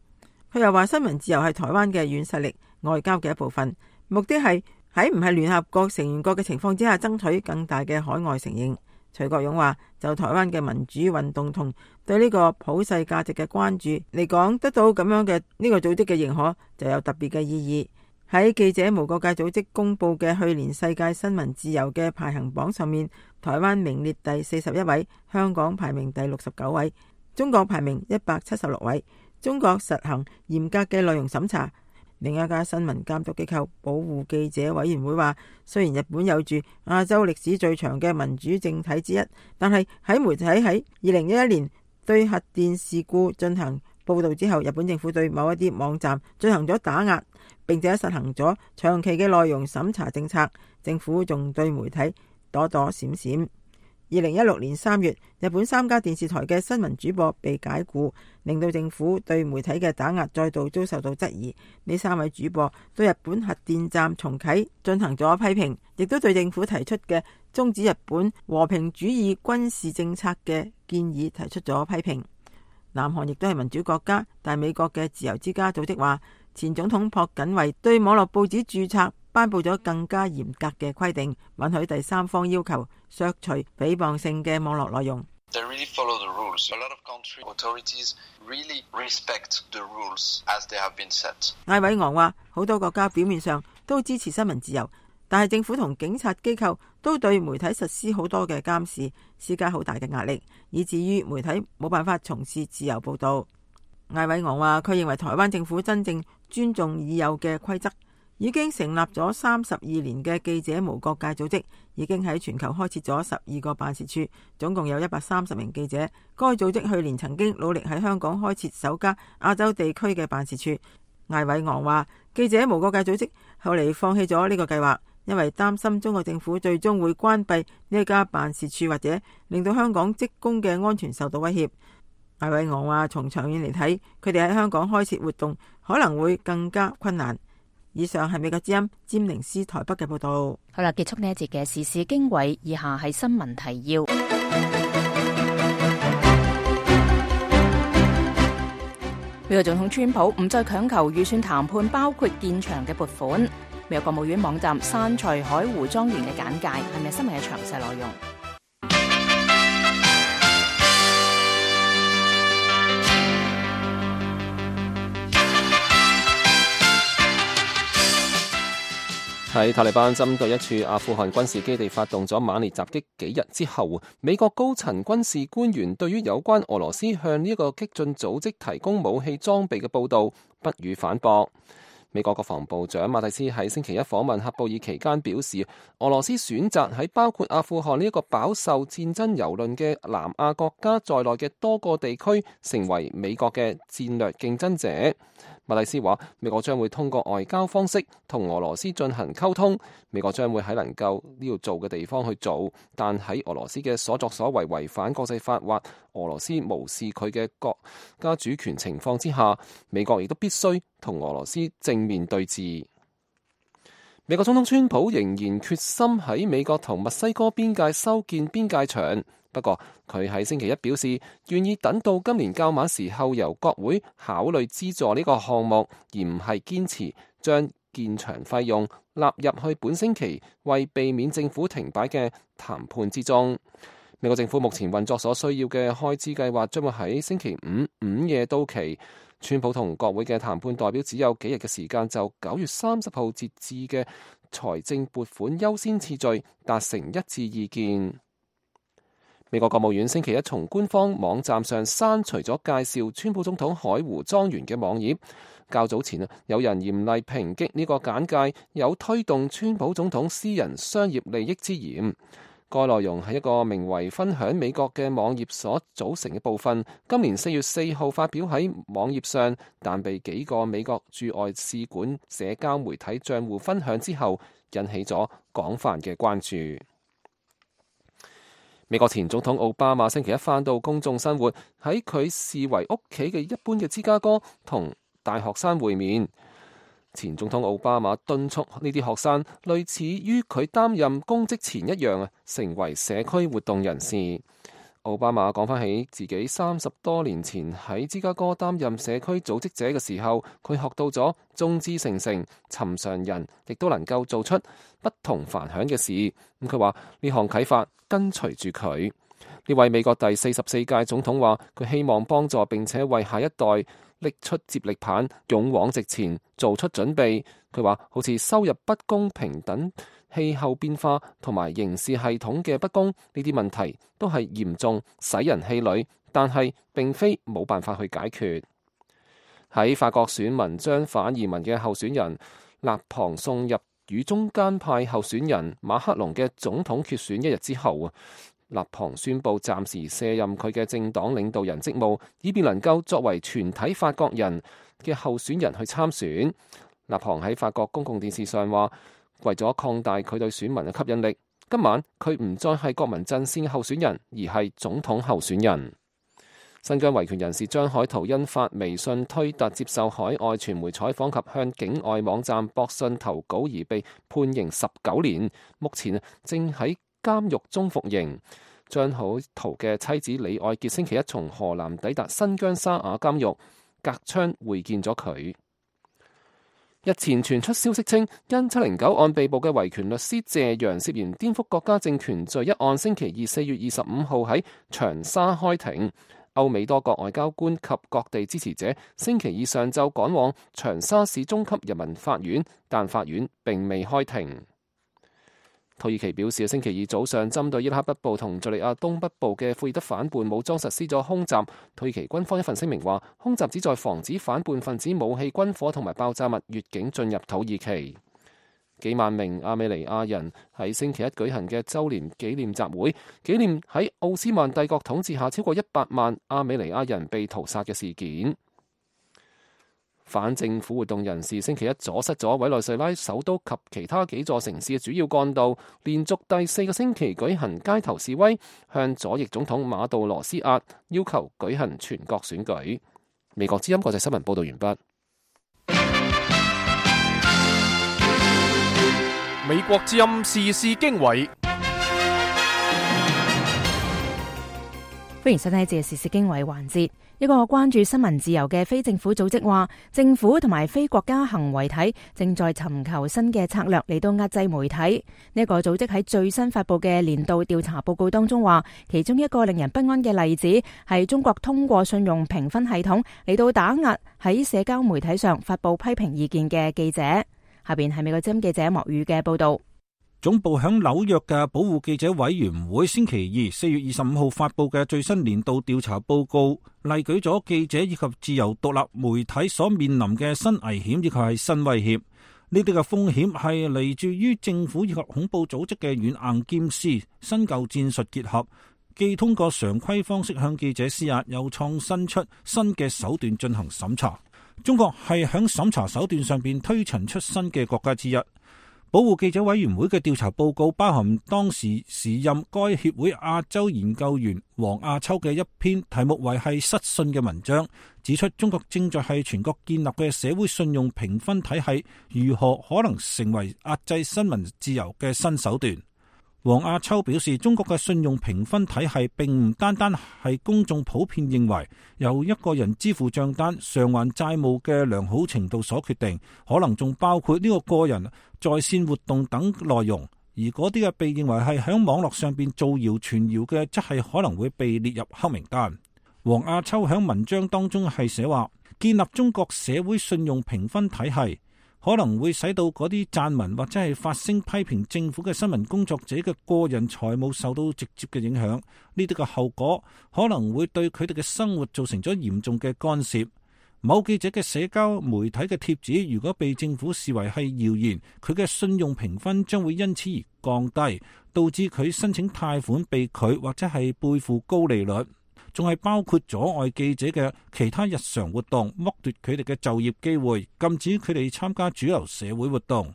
佢又話，新聞自由係台灣嘅軟實力、外交嘅一部分，目的係喺唔係聯合國成員國嘅情況之下，爭取更大嘅海外承認。徐國勇話，就台灣嘅民主運動同對呢個普世價值嘅關注嚟講，得到咁樣嘅呢個組織嘅認可就有特別嘅意義。喺記者無國界組織公布嘅去年世界新聞自由嘅排行榜上面，台灣名列第四十一位，香港排名第六十九位，中國排名一百七十六位。中國實行嚴格嘅內容審查。另一家新聞監督機構保護記者委員會話，雖然日本有住亞洲歷史最長嘅民主政體之一，但係喺媒體喺二零一一年對核電事故進行報道之後，日本政府對某一啲網站進行咗打壓，並且實行咗長期嘅內容審查政策。政府仲對媒體躲躲閃閃。二零一六年三月，日本三家電視台嘅新聞主播被解雇，令到政府對媒體嘅打壓再度遭受到質疑。呢三位主播對日本核電站重啟進行咗批評，亦都對政府提出嘅終止日本和平主義軍事政策嘅建議提出咗批評。南韓亦都係民主國家，但美國嘅自由之家組織話，前總統朴槿惠對網絡報紙註冊頒布咗更加嚴格嘅規定，允許第三方要求削除誹謗性嘅網絡內容。They really follow the rules. A lot of country authorities really respect the rules as they have been set. 艾偉昂話，好多國家表面上都支持新聞自由，但係政府同警察機構都對媒體實施好多嘅監視，施加好大嘅壓力，以至於媒體冇辦法從事自由報導。艾偉昂話，佢認為台灣政府真正尊重已有嘅規則，已經成立咗三十二年嘅記者無國界組織，已經喺全球開設咗十二個辦事處，總共有一百三十名記者。該組織去年曾經努力喺香港開設首家亞洲地區嘅辦事處。艾偉昂話：記者無國界組織後嚟放棄咗呢個計劃，因為擔心中國政府最終會關閉呢一家辦事處，或者令到香港職工嘅安全受到威脅。艾偉昂話：從長遠嚟睇，佢哋喺香港開設活動可能會更加困難。以上係美國之音詹寧斯台北嘅報道。好啦，結束呢一節嘅時事經緯，以下係新聞提要。美國總統川普唔再強求預算談判包括建牆嘅撥款。美國國務院網站刪除海湖莊園嘅簡介，係咪新聞嘅詳細內容？喺塔利班針對一處阿富汗軍事基地發動咗猛烈襲擊幾日之後，美國高層軍事官員對於有關俄羅斯向呢一個激進組織提供武器裝備嘅報導不予反駁。美國國防部長馬蒂斯喺星期一訪問喀布爾期間表示，俄羅斯選擇喺包括阿富汗呢一個飽受戰爭蹂躪嘅南亞國家在內嘅多個地區成為美國嘅戰略競爭者。馬蒂斯話，美國將會通過外交方式同俄羅斯進行溝通，美國將會喺能夠呢度做嘅地方去做，但喺俄羅斯嘅所作所為違反國際法或俄羅斯無視佢嘅國家主權情況之下，美國亦都必須同俄羅斯正面對峙。美國總統川普仍然決心喺美國同墨西哥邊界修建邊界牆。不過，佢喺星期一表示，願意等到今年較晚時候由國會考慮資助呢個項目，而唔係堅持將建牆費用納入去本星期為避免政府停擺嘅談判之中。美國政府目前運作所需要嘅開支計劃將會喺星期五午夜到期。川普同國會嘅談判代表只有幾日嘅時間，就九月三十號截至嘅財政撥款優先次序達成一致意見。美國國務院星期一從官方網站上刪除咗介紹川普總統海湖莊園嘅網頁。較早前啊，有人嚴厲抨擊呢個簡介有推動川普總統私人商業利益之嫌。該內容係一個名為分享美國嘅網頁所組成嘅部分，今年四月四號發表喺網頁上，但被幾個美國駐外使館社交媒體賬戶分享之後，引起咗廣泛嘅關注。美國前總統奧巴馬星期一返到公眾生活，喺佢視為屋企嘅一般嘅芝加哥同大學生會面。前總統奧巴馬敦促呢啲學生類似於佢擔任公職前一樣啊，成為社區活動人士。奧巴馬講翻起自己三十多年前喺芝加哥擔任社區組織者嘅時候，佢學到咗眾志成城，尋常人亦都能夠做出不同凡響嘅事。咁佢話呢項啟發跟隨住佢。呢位美國第四十四屆總統話，佢希望幫助並且為下一代拎出接力棒，勇往直前，做出準備。佢話好似收入不公平等氣候變化同埋刑事系統嘅不公呢啲問題都係嚴重使人氣餒，但係並非冇辦法去解決。喺法國選民將反移民嘅候選人勒龐送入與中間派候選人馬克龍嘅總統決選一日之後啊，勒龐宣布暫時卸任佢嘅政黨領導人職務，以便能夠作為全體法國人嘅候選人去參選。勒龐喺法國公共電視上話，為咗擴大佢對選民嘅吸引力，今晚佢唔再係國民陣線嘅候選人，而係總統候選人。新疆維權人士張海圖因發微信推特接受海外傳媒採訪及向境外網站博信投稿而被判刑十九年，目前正喺監獄中服刑。張海圖嘅妻子李愛傑星期一從河南抵達新疆沙雅監獄，隔窗會見咗佢。日前傳出消息稱，因七零九案被捕嘅維權律師謝陽涉嫌顛覆國家政權罪一案，星期二四月二十五號喺長沙開庭。歐美多國外交官及各地支持者星期二上晝趕往長沙市中級人民法院，但法院並未開庭。土耳其表示，星期二早上針對伊拉克北部同敘利亞東北部嘅庫爾德反叛武裝實施咗空襲。土耳其軍方一份聲明話，空襲旨在防止反叛分子武器、軍火同埋爆炸物越境進入土耳其。幾萬名亞美尼亞人喺星期一舉行嘅週年紀念集會，紀念喺奧斯曼帝國統治下超過一百萬亞美尼亞人被屠殺嘅事件。反政府活動人士星期一阻塞咗委內瑞拉首都及其他幾座城市嘅主要幹道，連續第四個星期舉行街頭示威，向左翼總統馬杜羅施壓，要求舉行全國選舉。美國之音國際新聞報道完畢。美國之音時事經緯，歡迎收聽呢節時事經緯環節。一個關注新聞自由嘅非政府組織話，政府同埋非國家行為體正在尋求新嘅策略嚟到壓制媒體。呢個組織喺最新發佈嘅年度調查報告當中話，其中一個令人不安嘅例子係中國通過信用評分系統嚟到打壓喺社交媒體上發佈批評意見嘅記者。下邊係美國之音記者莫宇嘅報道。總部響紐約嘅保護記者委員會星期二四月二十五號發佈嘅最新年度調查報告，例舉咗記者以及自由獨立媒體所面臨嘅新危險以及係新威脅。呢啲嘅風險係嚟自於政府以及恐怖組織嘅軟硬兼施，新舊戰術結合，既通過常規方式向記者施壓，又創新出新嘅手段進行審查。中國係響審查手段上邊推陳出新嘅國家之一。保護記者委員會嘅調查報告包含當時時任該協會亞洲研究員黃亞秋嘅一篇題目為係失信嘅文章，指出中國正在係全國建立嘅社會信用評分體系如何可能成為壓制新聞自由嘅新手段。黃亞秋表示，中國嘅信用評分體系並唔單單係公眾普遍認為由一個人支付賬單、償還債務嘅良好程度所決定，可能仲包括呢個個人在線活動等內容。而嗰啲嘅被認為係響網絡上邊造謠傳謠嘅，則係可能會被列入黑名單。黃亞秋響文章當中係寫話，建立中國社會信用評分體系可能會使到嗰啲撰文或者係發聲批評政府嘅新聞工作者嘅個人財務受到直接嘅影響，呢啲嘅後果可能會對佢哋嘅生活造成咗嚴重嘅干涉。某記者嘅社交媒體嘅貼紙如果被政府視為係謠言，佢嘅信用評分將會因此而降低，導致佢申請貸款被拒或者係背負高利率。仲係包括阻礙記者嘅其他日常活動，剝奪佢哋嘅就業機會，禁止佢哋參加主流社會活動。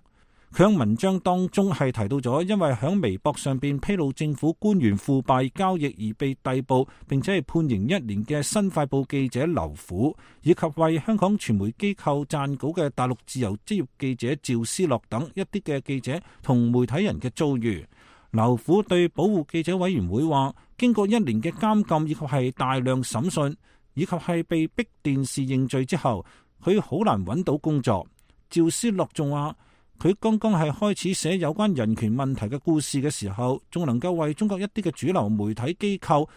佢喺文章當中係提到咗，因為喺微博上邊披露政府官員腐敗交易而被逮捕並且係判刑一年嘅新快報記者劉虎，以及為香港傳媒機構撰稿嘅大陸自由職業記者趙思樂等一啲嘅記者同媒體人嘅遭遇。劉虎對保護記者委員會話，經過一年嘅監禁以及係大量審訊，以及係被逼電視認罪之後，佢好難揾到工作。趙思樂仲話，佢剛剛係開始寫有關人權問題嘅故事嘅時候，仲能夠為中國一啲嘅主流媒體機構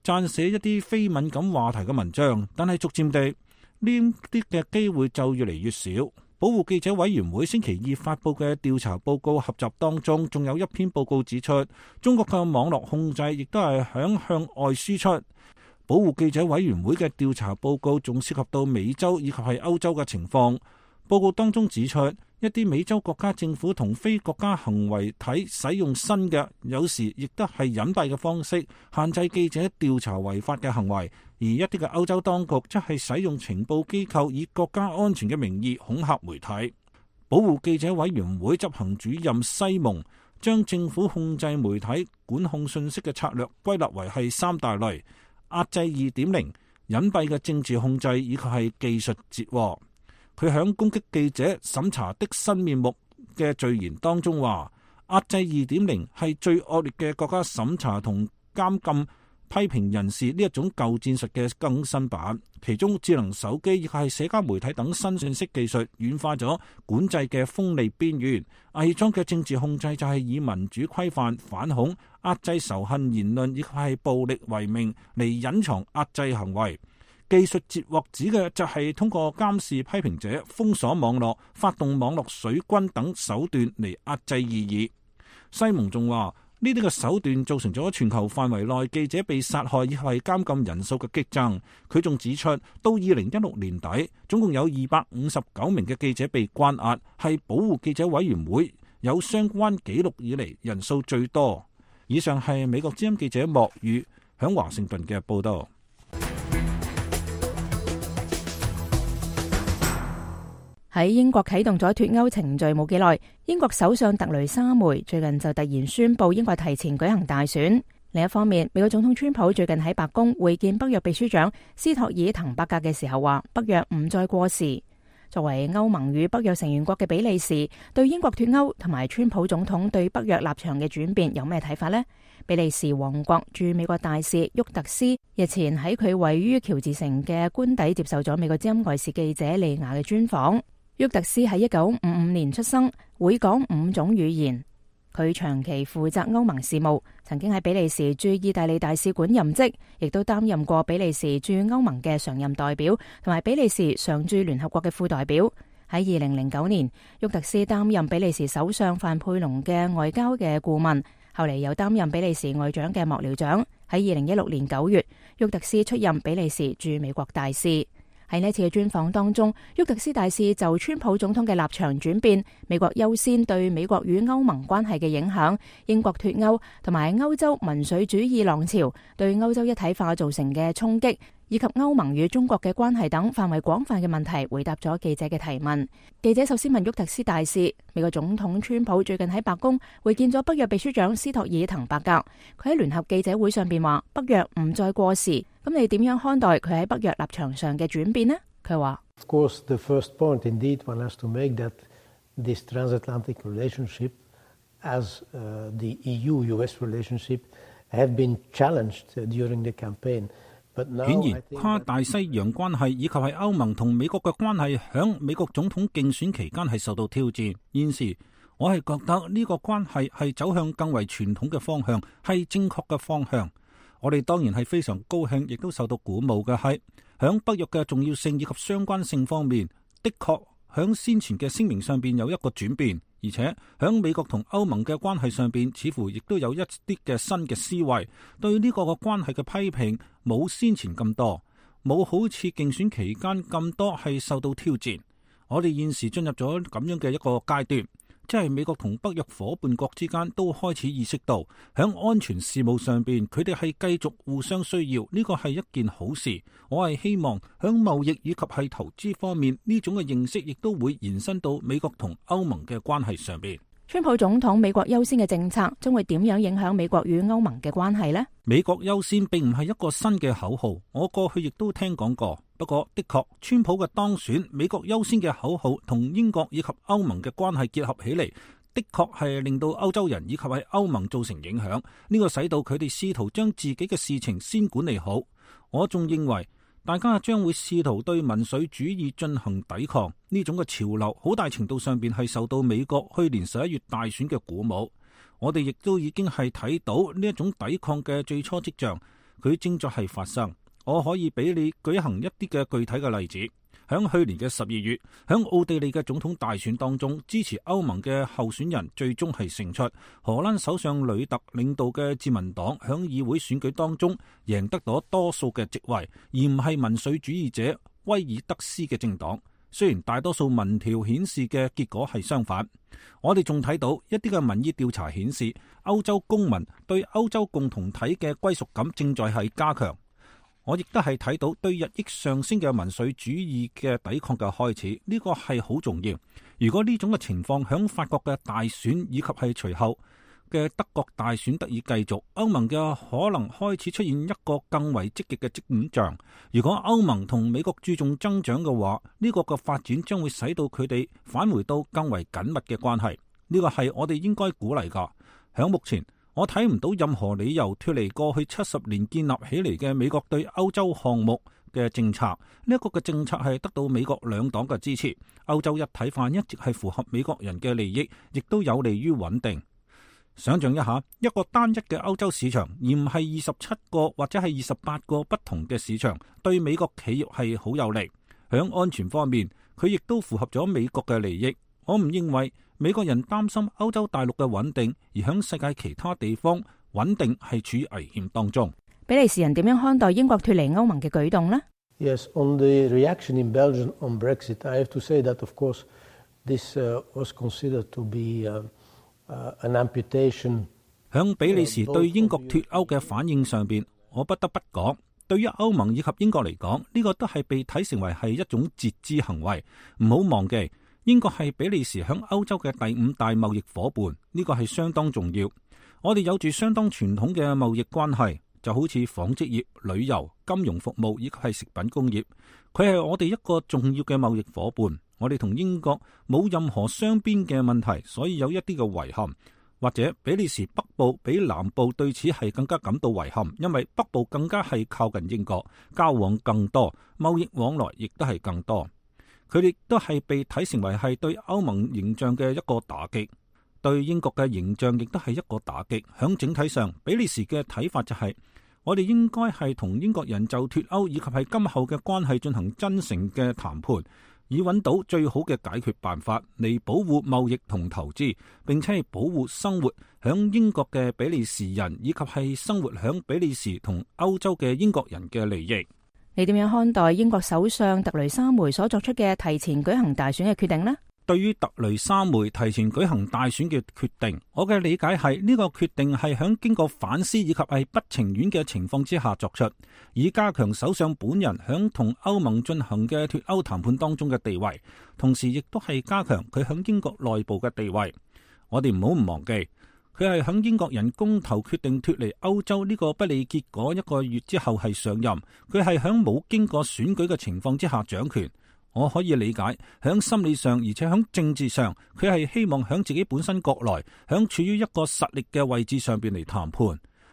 撰寫一啲非敏感話題嘅文章，但係逐漸地呢啲嘅機會就越嚟越少。保護記者委員會星期二發佈嘅調查報告合集當中，仲有一篇報告指出，中國嘅網絡控制亦都係響向外輸出。保護記者委員會嘅調查報告仲涉及到美洲以及係歐洲嘅情況。報告當中指出，一啲美洲國家政府同非國家行為體使用新嘅，有時亦都係隱蔽嘅方式，限制記者調查違法嘅行為。而一啲嘅歐洲當局則係使用情報機構以國家安全嘅名義恐嚇媒體。保護記者委員會執行主任西蒙將政府控制媒體管控信息嘅策略歸納為係三大類：壓制二點零、隱蔽嘅政治控制以及係技術截獲。佢響攻擊記者審查的新面目嘅序言當中話，壓制二點零係最惡劣嘅國家審查同監禁批評人士呢一種舊戰術嘅更新版，其中智能手機以及係社交媒體等新信息技術軟化咗管制嘅鋒利邊緣。偽裝嘅政治控制就係以民主規範、反恐、壓制仇恨言論以及係暴力為名嚟隱藏壓制行為。技術截獲指嘅就係通過監視批評者、封鎖網絡、發動網絡水軍等手段嚟壓制異議。西蒙仲話，呢啲嘅手段造成咗全球範圍內記者被殺害以及係監禁人數嘅激增。佢仲指出，到二零一六年底，總共有二百五十九名嘅記者被關押，係保護記者委員會有相關紀錄以嚟人數最多。以上係美國之音記者莫宇響華盛頓嘅報道。喺英國啟動咗脫歐程序冇幾耐，英國首相特雷莎梅最近就突然宣布英國提前舉行大選。另一方面，美國總統川普最近喺白宮會見北約秘書長斯托爾滕伯格嘅時候話，北約唔再過時。作為歐盟與北約成員國嘅比利時，對英國脫歐同埋川普總統對北約立場嘅轉變有咩睇法呢？比利時王國駐美國大使沃特斯日前喺佢位於喬治城嘅官邸接受咗美國之音外事記者利亞嘅專訪。沃特斯喺一九五五年出生，會講五種語言。佢長期負責歐盟事務，曾經喺比利時駐意大利大使館任職，亦都擔任過比利時駐歐盟嘅常任代表，同埋比利時常駐聯合國嘅副代表。喺二零零九年，沃特斯擔任比利時首相范佩龍嘅外交嘅顧問，後嚟又擔任比利時外長嘅幕僚長。喺二零一六年九月，沃特斯出任比利時駐美國大使。喺呢次嘅專訪當中，沃特斯大使就川普總統嘅立場轉變、美國優先對美國與歐盟關係嘅影響、英國脫歐同埋歐洲民粹主義浪潮對歐洲一體化造成嘅衝擊，以及歐盟與中國嘅關係等範圍廣泛嘅問題，回答咗記者嘅提問。記者首先問沃特斯大使，美國總統川普最近喺白宮會見咗北約秘書長斯托爾滕伯格，佢喺聯合記者會上邊話北約唔再過時。咁你點樣看待佢喺北約立場上嘅轉變呢？佢話 Of course, the first point indeed one has to make that this transatlantic relationship as uh, the E U-U S relationship have been challenged during the campaign. But now, 顯然，跨大西洋關係以及係歐盟同美國嘅關係響美國總統競選期間係受到挑戰。現時我係覺得呢個關係係走向更為傳統嘅方向，係正確嘅方向。我哋當然係非常高興，亦都受到鼓舞嘅係，響北約嘅重要性以及相關性方面，的確響先前嘅聲明上邊有一個轉變，而且響美國同歐盟嘅關係上邊，似乎亦都有一啲嘅新嘅思維，對呢個嘅關係嘅批評冇先前咁多，冇好似競選期間咁多係受到挑戰。我哋現時進入咗咁樣嘅一個階段。即係美國同北約夥伴國之間都開始意識到，響安全事務上邊，佢哋係繼續互相需要，呢個係一件好事。我係希望響貿易以及係投資方面，呢種嘅認識亦都會延伸到美國同歐盟嘅關係上邊。川普總統美國優先嘅政策將會點樣影響美國與歐盟嘅關係呢？美國優先並唔係一個新嘅口號，我過去亦都聽講過。不過的確，川普嘅當選，美國優先嘅口號同英國以及歐盟嘅關係結合起嚟，的確係令到歐洲人以及係歐盟造成影響。呢個使到佢哋試圖將自己嘅事情先管理好。我仲認為大家將會試圖對民粹主義進行抵抗，呢種嘅潮流好大程度上邊係受到美國去年十一月大選嘅鼓舞。我哋亦都已經係睇到呢一種抵抗嘅最初跡象，佢正在係發生。我可以俾你舉行一啲嘅具體嘅例子。響去年嘅十二月，響奧地利嘅總統大選當中，支持歐盟嘅候選人最終係勝出。荷蘭首相呂特領導嘅自民黨響議會選舉當中贏得咗多數嘅席位，而唔係民粹主義者威爾德斯嘅政黨。雖然大多數民調顯示嘅結果係相反，我哋仲睇到一啲嘅民意調查顯示，歐洲公民對歐洲共同體嘅歸屬感正在係加強。我亦都係睇到對日益上升嘅民粹主義嘅抵抗嘅開始，呢個係好重要。如果呢種嘅情況響法國嘅大選以及係隨後嘅德國大選得以繼續，歐盟嘅可能開始出現一個更為積極嘅跡象。如果歐盟同美國注重增長嘅話，呢個嘅發展將會使到佢哋返回到更為緊密嘅關係。呢個係我哋應該鼓勵㗎。響目前，我睇唔到任何理由脫離過去七十年建立起嚟嘅美國對歐洲項目嘅政策。呢一個嘅政策係得到美國兩黨嘅支持。歐洲一體化一直係符合美國人嘅利益，亦都有利於穩定。想象一下，一個單一嘅歐洲市場，而唔係二十七個或者係二十八個不同嘅市場，對美國企業係好有利。響安全方面，佢亦都符合咗美國嘅利益。我唔認為美國人擔心歐洲大陸嘅穩定，而響世界其他地方穩定係處於危險當中。比利時人點樣看待英國脫離歐盟嘅舉動呢？ Yes, on the reaction in Belgium on Brexit, I have to say that of course this uh, was considered to be uh, uh, an amputation。響比利時對英國脱歐嘅反應上邊，我不得不講，對於歐盟以及英國嚟講，呢、這個都係被睇成為係一種節肢行為。唔好忘記，英國係比利時響歐洲嘅第五大貿易夥伴，呢、這個係相當重要。我哋有住相當傳統嘅貿易關係，就好似紡織業、旅遊、金融服務以及係食品工業，佢係我哋一個重要嘅貿易夥伴。我哋同英國冇任何雙邊嘅問題，所以有一啲嘅遺憾。或者比利時北部比南部對此係更加感到遺憾，因為北部更加係靠近英國，交往更多，貿易往來亦都係更多。佢哋都係被睇成為係對歐盟形象嘅一個打擊，對英國嘅形象亦都係一個打擊。響整體上，比利時嘅睇法就係、是，我哋應該係同英國人就脱歐以及係今後嘅關係進行真誠嘅談判，以揾到最好嘅解決辦法嚟保護貿易同投資，並且係保護生活響英國嘅比利時人以及係生活響比利時同歐洲嘅英國人嘅利益。你點樣看待英國首相特雷莎梅所作出嘅提前舉行大選嘅決定呢？對於特雷莎梅提前舉行大選嘅決定，我嘅理解係呢個決定係響經過反思以及係不情願嘅情況之下作出，以加強首相本人響同歐盟進行嘅脱歐談判當中嘅地位，同時亦都係加強佢響英國內部嘅地位。我哋唔好唔忘記，佢係響英國人公投決定脱離歐洲呢個不利結果一個月之後係上任，佢係響冇經過選舉嘅情況之下掌權。我可以理解，響心理上而且響政治上，佢係希望響自己本身國內，響處於一個實力嘅位置上邊嚟談判。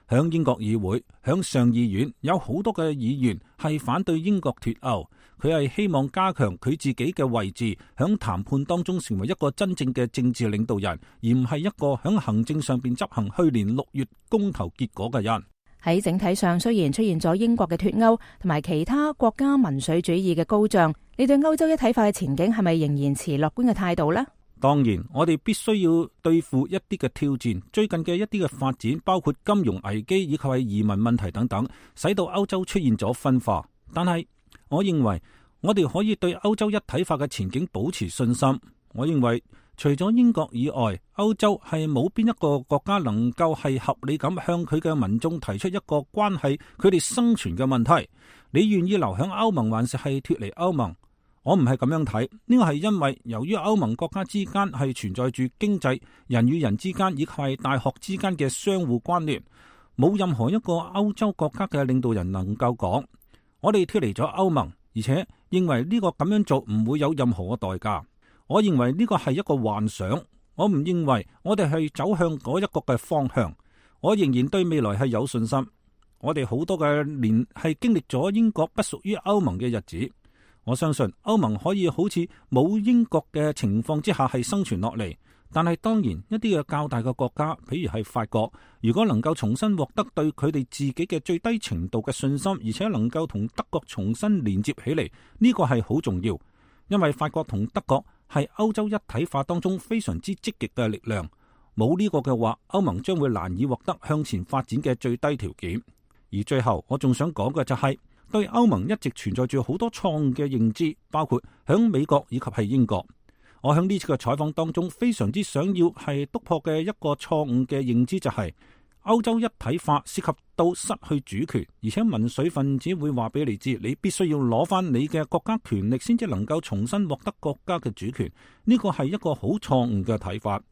響英國議會、響上議院有好多嘅議員係反對英國脱歐，佢係希望加強佢自己嘅位置，響談判當中成為一個真正嘅政治領導人，而唔係一個響行政上邊執行去年六月公投結果嘅人。喺整體上，雖然出現咗英國嘅脱歐同埋其他國家民粹主義嘅高漲，你對歐洲一體化嘅前景係咪仍然持樂觀嘅態度呢？當然，我哋必須要對付一啲嘅挑戰。最近嘅一啲嘅發展，包括金融危機以及係移民問題等等，使到歐洲出現咗分化。但係，我認為我哋可以對歐洲一體化嘅前景保持信心。我認為除咗英國以外，歐洲係冇邊一個國家能夠係合理咁向佢嘅民眾提出一個關係佢哋生存嘅問題。你願意留響歐盟，還是係脫離歐盟？我唔係咁樣睇，呢個係因為由於歐盟國家之間係存在住經濟、人與人之間以及係大學之間嘅相互關聯，冇任何一個歐洲國家嘅領導人能夠講我哋脫離咗歐盟，而且認為呢個咁樣做唔會有任何嘅代價。我認為呢個係一個幻想，我唔認為我哋係走向嗰一個嘅方向。我仍然對未來係有信心。我哋好多嘅年係經歷咗英國不屬於歐盟嘅日子。我相信歐盟可以好似冇英國嘅情況之下係生存落嚟，但係當然一啲嘅較大嘅國家，譬如係法國，如果能夠重新獲得對佢哋自己嘅最低程度嘅信心，而且能夠同德國重新連接起嚟，呢個係好重要。因為法國同德國係歐洲一體化當中非常之積極嘅力量，冇呢個嘅話，歐盟將會難以獲得向前發展嘅最低條件。而最後，我仲想講嘅就係、是。對歐盟一直存在住好多錯誤嘅認知，包括響美國以及係英國。我響呢次嘅採訪當中，非常之想要係突破嘅一個錯誤嘅認知就係、是、歐洲一體化涉及到失去主權，而且民粹分子會話俾你知，你必須要攞翻你嘅國家權力先至能夠重新獲得國家嘅主權。呢個係一個好錯誤嘅睇法，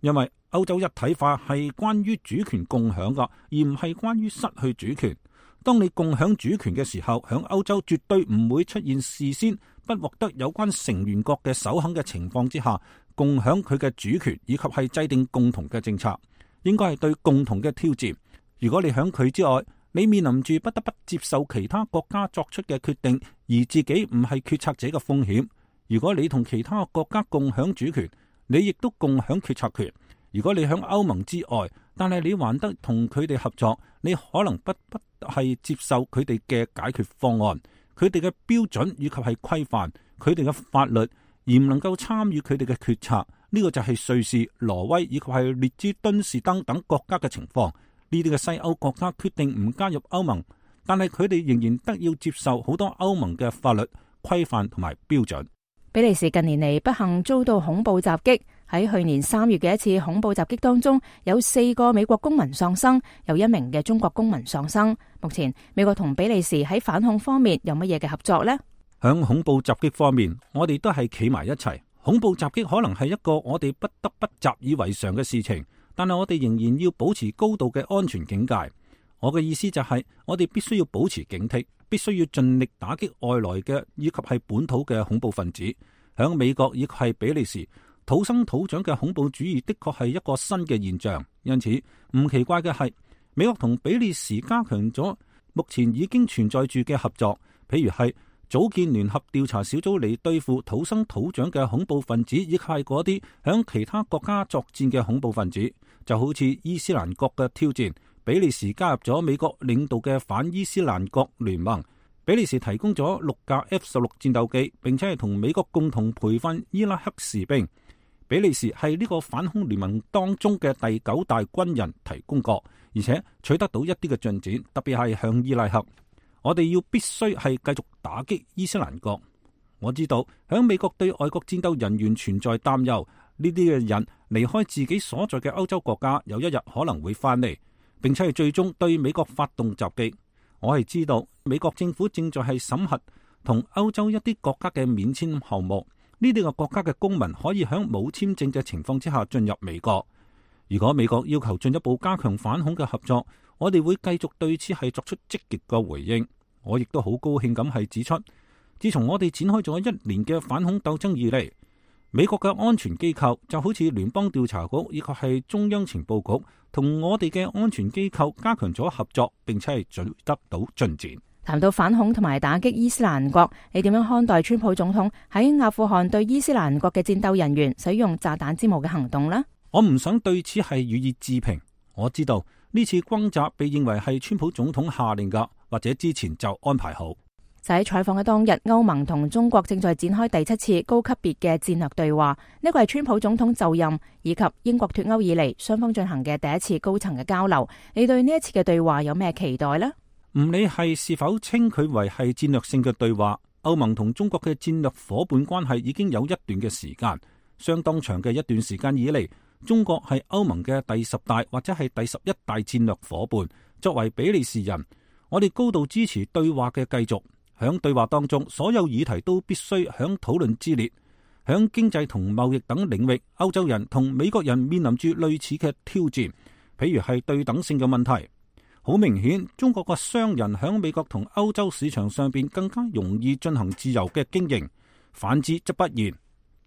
因為歐洲一體化係關於主權共享噶，而唔係關於失去主權。當你共享主權嘅時候，響歐洲絕對唔會出現事先不獲得有關成員國嘅首肯嘅情況之下，共享佢嘅主權以及係制定共同嘅政策，應該係對共同嘅挑戰。如果你響佢之外，你面臨住不得不接受其他國家作出嘅決定，而自己唔係決策者嘅風險。如果你同其他國家共享主權，你亦都共享決策權。如果你響歐盟之外，但係你還得同佢哋合作，你可能不不係接受佢哋嘅解決方案，佢哋嘅標準以及係規範，佢哋嘅法律，而唔能夠參與佢哋嘅決策。呢、這個就係瑞士、挪威以及係列支敦士登等國家嘅情況。呢啲嘅西歐國家決定唔加入歐盟，但係佢哋仍然得要接受好多歐盟嘅法律規範同埋標準。比利時近年嚟不幸遭到恐怖襲擊，喺去年三月嘅一次恐怖襲擊當中，有四個美國公民喪生，有一名嘅中國公民喪生。目前美國同比利時喺反恐方面有乜嘢嘅合作呢？響恐怖襲擊方面，我哋都係企埋一齊。恐怖襲擊可能係一個我哋不得不習以為常嘅事情，但係我哋仍然要保持高度嘅安全警戒。我嘅意思就係，我哋必須要保持警惕，必須要盡力打擊外來嘅以及係本土嘅恐怖分子。響美國以及係比利時，土生土長嘅恐怖主義的確係一個新嘅現象，因此唔奇怪嘅係，美國同比利時加強咗目前已經存在住嘅合作，譬如係組建聯合調查小組嚟對付土生土長嘅恐怖分子，以及係嗰啲響其他國家作戰嘅恐怖分子，就好似伊斯蘭國嘅挑戰。比利時加入咗美國領導嘅反伊斯蘭國聯盟。比利時提供咗六架 F 十六 戰鬥機，並且係同美國共同培訓伊拉克士兵。比利時係呢個反恐聯盟當中嘅第九大軍人提供國，而且取得到一啲嘅進展，特別係向伊拉克。我哋要必須係繼續打擊伊斯蘭國。我知道響美國對外國戰鬥人員存在擔憂，呢啲嘅人離開自己所在嘅歐洲國家，有一日可能會翻嚟，並且係最終對美國發動襲擊。我係知道美國政府正在係審核同歐洲一啲國家嘅免簽項目，呢啲個國家嘅公民可以喺冇簽證嘅情況之下進入美國。如果美國要求進一步加強反恐嘅合作，我哋會繼續對此係作出積極嘅回應。我亦都好高興咁係指出，自從我哋展開咗一年嘅反恐鬥爭以嚟，美國嘅安全機構就好似聯邦調查局以及係中央情報局，同我哋嘅安全機構加強咗合作，並且係取得到進展。談到反恐同埋打擊伊斯蘭國，你點樣看待川普總統喺阿富汗對伊斯蘭國嘅戰鬥人員使用炸彈之母嘅行動呢？我唔想對此係予以置評。我知道呢次轟炸被認為係川普總統下令噶，或者之前就安排好。就喺採訪嘅當日，歐盟同中國正在展開第七次高級別嘅戰略對話。呢個係川普總統就任以及英國脫歐以嚟雙方進行嘅第一次高層嘅交流。你對呢一次嘅對話有咩期待呢？唔理係是否稱佢為係戰略性嘅對話，歐盟同中國嘅戰略夥伴關係已經有一段嘅時間，相當長嘅一段時間以嚟，中國係歐盟嘅第十大或者係第十一大戰略夥伴。作為比利時人，我哋高度支持對話嘅繼續。響對話當中，所有議題都必須響討論之列。響經濟同貿易等領域，歐洲人同美國人面臨住類似嘅挑戰，譬如係對等性嘅問題。好明顯，中國嘅商人響美國同歐洲市場上邊更加容易進行自由嘅經營，反之則不然。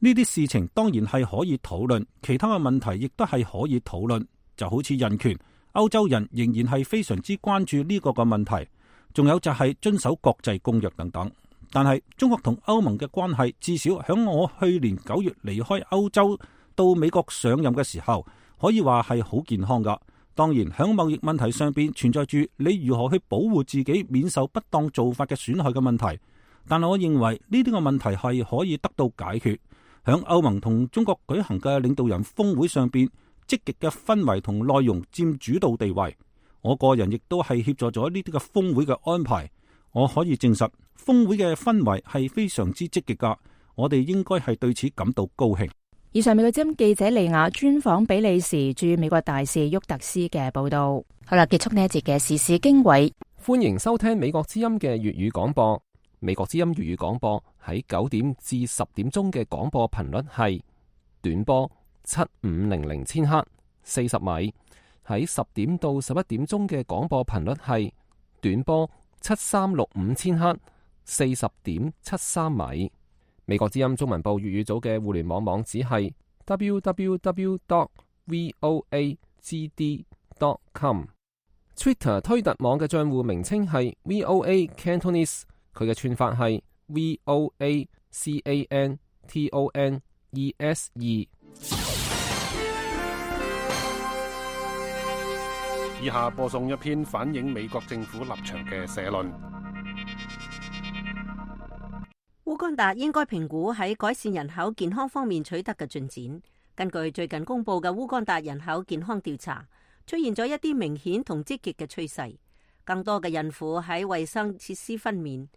呢啲事情當然係可以討論，其他嘅問題亦都係可以討論，就好似人權，歐洲人仍然係非常之關注呢個嘅問題。仲有就係遵守國際公約等等，但係中國同歐盟嘅關係，至少響我去年九月離開歐洲到美國上任嘅時候，可以話係好健康噶。當然響貿易問題上邊存在住你如何去保護自己免受不當做法嘅損害嘅問題，但係我認為呢啲個問題係可以得到解決。響歐盟同中國舉行嘅領導人峰會上邊，積極嘅氛圍同內容佔主導地位。我個人亦都係協助咗呢啲嘅峰會嘅安排，我可以證實峰會嘅氛圍係非常之積極噶，我哋應該係對此感到高興。以上美國之音記者利亞專訪比利時駐美國大使沃特斯嘅報道。好啦，結束呢一節嘅時事經緯，歡迎收聽美國之音嘅粵語廣播。美國之音粵語廣播喺九點至十點鐘嘅廣播頻率係短波七五零零千赫四十米。喺十點到十一點鐘嘅廣播頻率係短波七三六五千赫四十點七三米。美國之音中文部粵語組嘅互聯網網址係 double-u double-u double-u dot voa g d dot com。Twitter 推特網嘅賬戶名稱係 V O A Cantonese， 佢嘅串法係 V O A C A N T O N E S E。以下播送一篇反映美國政府立場嘅社論。烏干達應該評估喺改善人口健康方面取得嘅進展。根據最近公布嘅烏干達人口健康調查，出現咗一啲明顯同積極嘅趨勢。更多嘅孕婦喺衛生設施分娩，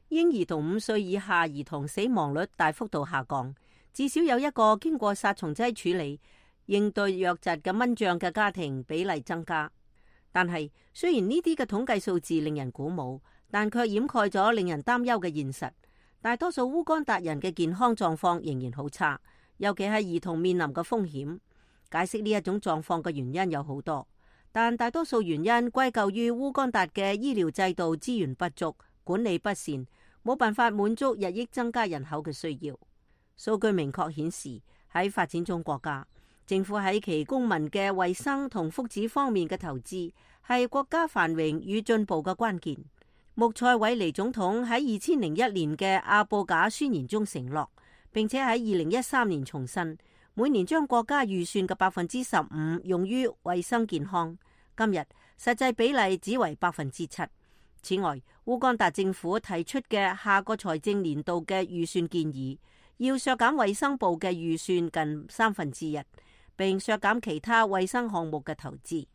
嬰兒同五歲以下兒童死亡率大幅度下降，至少有一個經過殺蟲劑處理應對瘧疾嘅蚊帳嘅家庭比例增加。但係雖然呢啲嘅統計數字令人鼓舞，但卻掩蓋咗令人擔憂嘅現實。大多數烏干達人嘅健康狀況仍然好差，尤其係兒童面臨嘅風險。解釋呢一種狀況嘅原因有好多，但大多數原因歸咎於烏干達嘅醫療制度資源不足、管理不善，冇辦法滿足日益增加人口嘅需要。數據明確顯示，喺發展中國家，政府喺其公民嘅衛生同福祉方面嘅投資係國家繁榮與進步嘅關鍵。穆塞韋尼總統喺二千零一年嘅阿布賈宣言中承諾，並且喺二零一三年重申，每年將國家預算嘅百分之十五用於衛生健康。今日實際比例只為百分之七。此外，烏干達政府提出嘅下個財政年度嘅預算建議，要削減衛生部嘅預算近三分之一，並削減其他衛生項目嘅投資。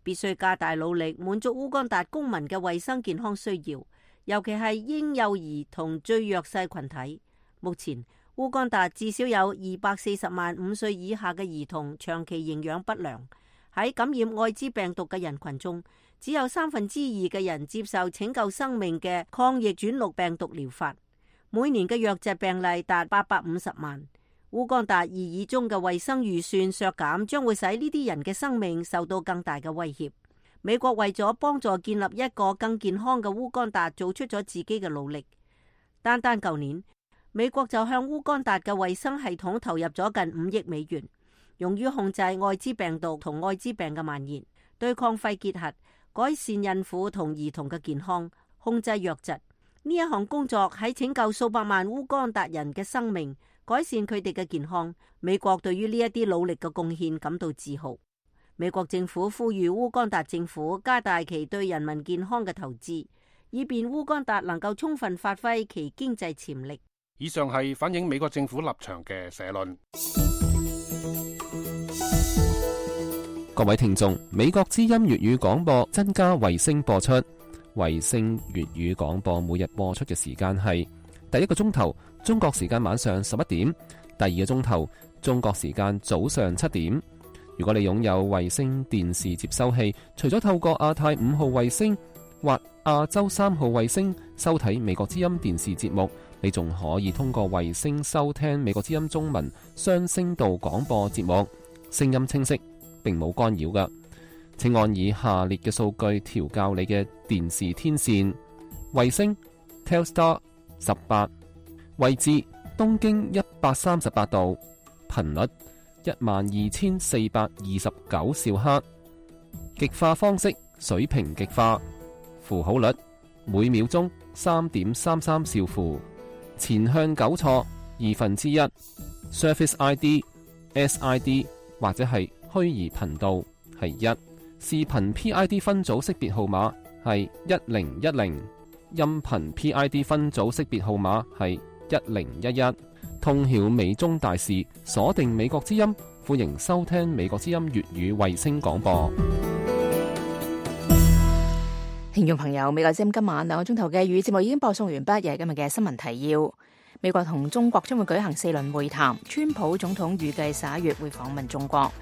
必須加大努力滿足烏干達公民嘅衛生健康需要，尤其係嬰幼兒同最弱勢群體。目前烏干達至少有二百四十萬五歲以下嘅兒童長期營養不良。喺感染艾滋病毒嘅人群中，只有三分之二嘅人接受拯救生命嘅抗逆轉錄病毒療法。每年嘅瘧疾病例達八百五十萬。烏干達擬議中嘅衛生預算削減將會使呢啲人嘅生命受到更大嘅威脅。美國為咗幫助建立一個更健康嘅烏干達，做出咗自己嘅努力。單單舊年，美國就向烏干達嘅衛生系統投入咗近五億美元，用於控制艾滋病毒同艾滋病嘅蔓延，對抗肺結核，改善孕婦同兒童嘅健康，控制瘧疾。呢一項工作喺拯救數百萬烏干達人嘅生命，改善佢哋嘅健康。美國對於呢一啲努力嘅貢獻感到自豪。美國政府呼籲烏干達政府加大其對人民健康嘅投資，以便烏干達能夠充分發揮其經濟潛力。以上係反映美國政府立場嘅社論。各位聽眾，美國之音粵語廣播增加衛星播出。衛星粵語廣播每日播出嘅時間係第一個鐘頭中國時間晚上十一點，第二個鐘頭中國時間早上七點。如果你擁有衛星電視接收器，除咗透過亞太五號衛星或亞洲三號衛星收睇美國之音電視節目，你仲可以通過衛星收聽美國之音中文雙聲道廣播節目，聲音清晰，並冇干擾㗎。請按以下列嘅數據調校你嘅電視天線：衛星 Telstar 十八，位置東經一百三十八度，頻率一萬二千四百二十九兆赫，極化方式水平極化，符號率每秒鐘三點三三兆符，前向糾錯二分之一 ，Surface I D、S I D 或者係虛擬頻道係一。視頻 P I D 分組識別號碼係一零一零，音頻 P I D 分組識別號碼係一零一一。通曉美中大事，鎖定美國之音，歡迎收聽美國之音粵語衛星廣播。聽眾朋友，美國之音今晚兩個鐘頭嘅粵語節目已經播送完畢，又係今日嘅新聞提要。美國同中國將會舉行四輪會談，川普總統預計十一月會訪問中國。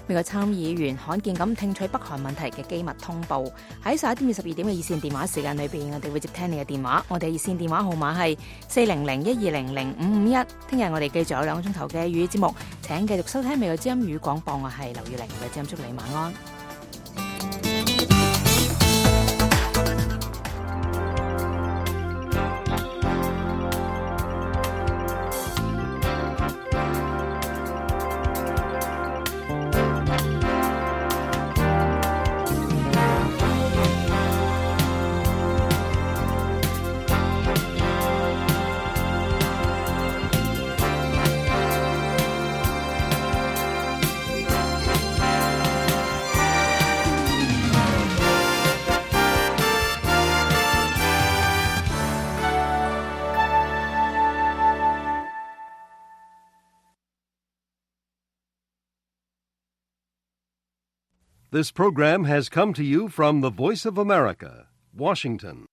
美國參議員罕見咁聽取北韓問題嘅機密通報。喺十一點至十二點嘅熱線電話時間裏邊，我哋會接聽你嘅電話。我哋熱線電話號碼係四零零一二零零五五一。聽日我哋繼續有兩個鐘頭嘅粵語節目，請繼續收聽美國之音語廣播。我係劉月玲，嘅之音祝你晚安。This program has come to you from the Voice of America, Washington.